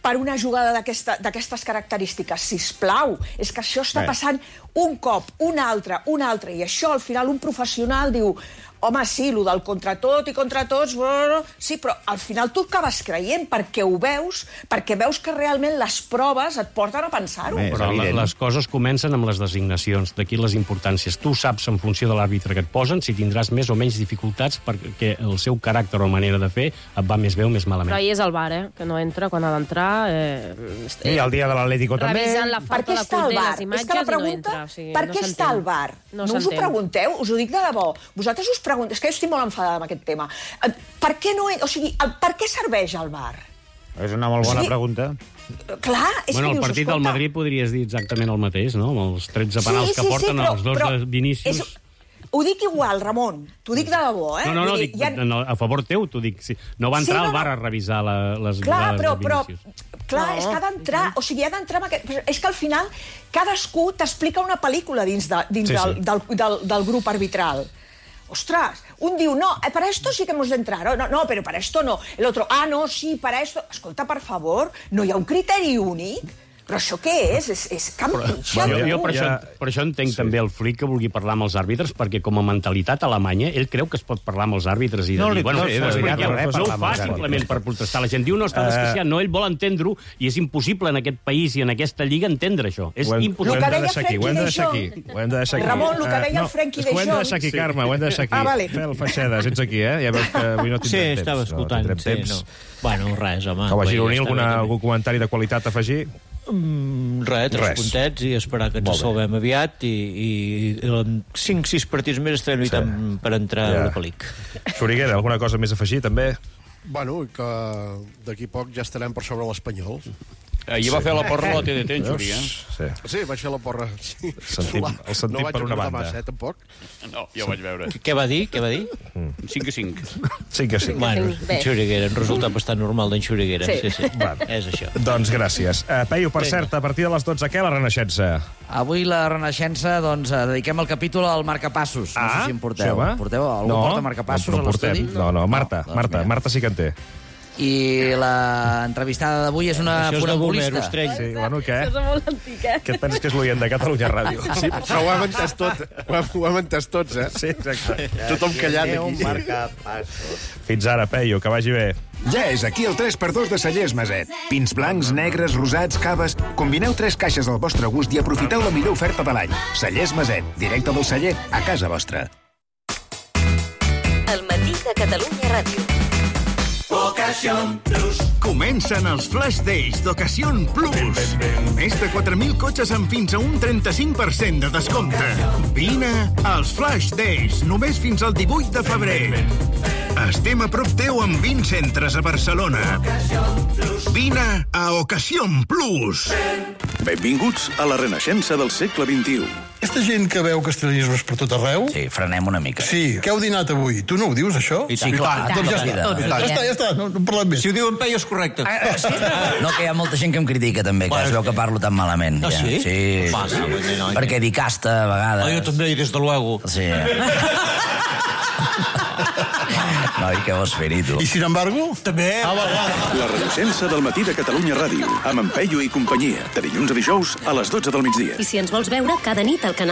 per una jugada d'aquestes característiques, sisplau. És que això està passant un cop, un altre, un altre, i això al final un professional diu, home, sí, el del contra tot i contra tots, sí, però al final tu acabes creient perquè ho veus, perquè veus que realment les proves et porten a pensar-ho. Però les coses comencen amb les designacions, d'aquí les importàncies. Tu saps, en funció de l'àrbitre que et posen, si tindràs més o menys dificultats perquè el seu caràcter o manera de fer et va més bé o més malament. Però ahir és el V A R, eh? Que no entra quan ha d'entrar. Eh, I el dia de l'Atlético també. Revisant la falta de Koundé, les imatges, i no entra. O sigui, per què no està el V A R? No, no us ho pregunteu? Us ho dic de debò. Vosaltres us pregunteu... És que jo estic molt enfadada amb aquest tema. Per què no... O sigui, per què serveix el V A R? És una molt bona o sigui, pregunta. Clar, és bueno, que dius, el partit del Madrid podries dir exactament el mateix, no? Amb els tretze penals sí, sí, que porten sí, però, els dos però, de Vinícius... És... Ho dic igual, Ramon. T'ho dic de debò, eh? No, no, no, dic, ha... no a favor teu, t'ho dic. Sí. No va entrar sí, no, el V A R a revisar la, les clar, jugades però, de Vinícius. Però, clar, no, és que ha d'entrar... O sigui, ha d'entrar amb aquest... És que al final cadascú t'explica una pel·lícula dins, de, dins sí, del, sí. Del, del, del grup arbitral. Ostras, un diu, no, para esto sí que hemos de entrar. No, no, pero para esto no. El otro, ah, no, sí, para esto... Escolta, per favor, no hi ha un criteri únic? Però això què és? És, és campitxa. Jo, jo per, ja... això, per això entenc sí. també el Flick que vulgui parlar amb els àrbitres, perquè com a mentalitat alemanya, ell creu que es pot parlar amb els àrbitres i de no, dir, bueno, no, sí, no, no, no ho fa simplement per protestar. La gent diu, no està desquiciat, no, ell vol entendre-ho, i és impossible en aquest país i en aquesta lliga entendre això. És hem, impossible. Ho hem de deixar aquí, ho hem de deixar aquí. Ho hem de deixar aquí. Ramon, el que deia el Frenkie de Jong... Ho hem de deixar aquí, Carme, ho hem de deixar aquí. Ah, vale. Fel Feixedes, ets aquí, eh? Ja veus que avui no tindrem temps. Sí, estava escoltant. Sí, bueno, res, home. Com a gironí, algun comentari de qualitat a afegir? Mm, res, tres res. puntets i esperar que ens salvem aviat i, i, i en cinc sis partits més estarem lluitant sí. per entrar ja. a la pel·lícula. Xuriguera, alguna cosa més a afegir, també? Bueno, que d'aquí poc ja estarem per sobre l'Espanyol. Ahir va fer la porra a la T D T, en Xuri, eh? Sí. Sí, vaig fer la porra. Sí. Sentim, el sentim no per una banda. Massa, eh, tampoc. No, ja ho vaig veure. Què va dir? Què va dir? cinc a cinc. cinc a cinc. Bueno, en Xuriguera, un resultat bastant normal d'en Xuriguera. Sí. Sí, sí. Bueno. És això. Doncs gràcies. Uh, Peyu, per cert, a partir de les dotze, què, la Renaixença? Avui la Renaixença, doncs, dediquem el capítol al marcapassos. No Ah, sé si en porteu. això va? Porteu? Algú No, porta marcapassos no a l'estudi? portem. No, no, Marta, doncs Marta, mira. Marta sí que en té. I la entrevistada d'avui és una Això és de funambulista. Bomer, Ostrell. Sí, bueno, què? Això és molt antic, eh? Què et penses que és l'oient de Catalunya Ràdio? Sí, però ho hem entès tot. Ho hem, ho hem entès tots, eh? Sí, exacte. Tothom callat Déu, aquí. marcapassos. Fins ara, Peyu, que vagi bé. Ja és aquí el tres per dos de Cellers Maset. Pins blancs, negres, rosats, caves... Combineu tres caixes al vostre gust i aprofiteu la millor oferta de l'any. Cellers Maset, directe del celler a casa vostra. El matí de Catalunya Ràdio. Ocasión Plus. Comencen els Flash Days d'Ocasión Plus. Més de quatre mil cotxes amb fins a un trenta-cinc per cent de descompte. Vine als Flash Days, només fins al divuit de febrer. Estem a prop teu amb vint centres a Barcelona. Vine a Ocasión Plus. Benvinguts a la Renaixença del segle vint-i-u. Aquesta gent que veu castellanismes per tot arreu... Sí, frenem una mica. Sí, què heu dinat avui? Tu no ho dius, això? I sí, clar. Doncs ja està, Tots, ja està, ja està, no, no parlem més. Si ho diu en Peyu és correcte. Ah, sí? No, que hi ha molta gent que em critica, també, que es veu que parlo tan malament. Ah, ja. sí? Sí, Va, sí, no, sí. no, no. Perquè dic casta, a vegades... Ah, jo també, des de luego. Sí. Noi, què vols fer-hi, tu? I sin embargo? També. Ah, va, va. La Renaixença del matí de Catalunya Ràdio, amb en Peyu i companyia, de dilluns a dijous a les dotze del migdia. I si ens vols veure cada nit al canal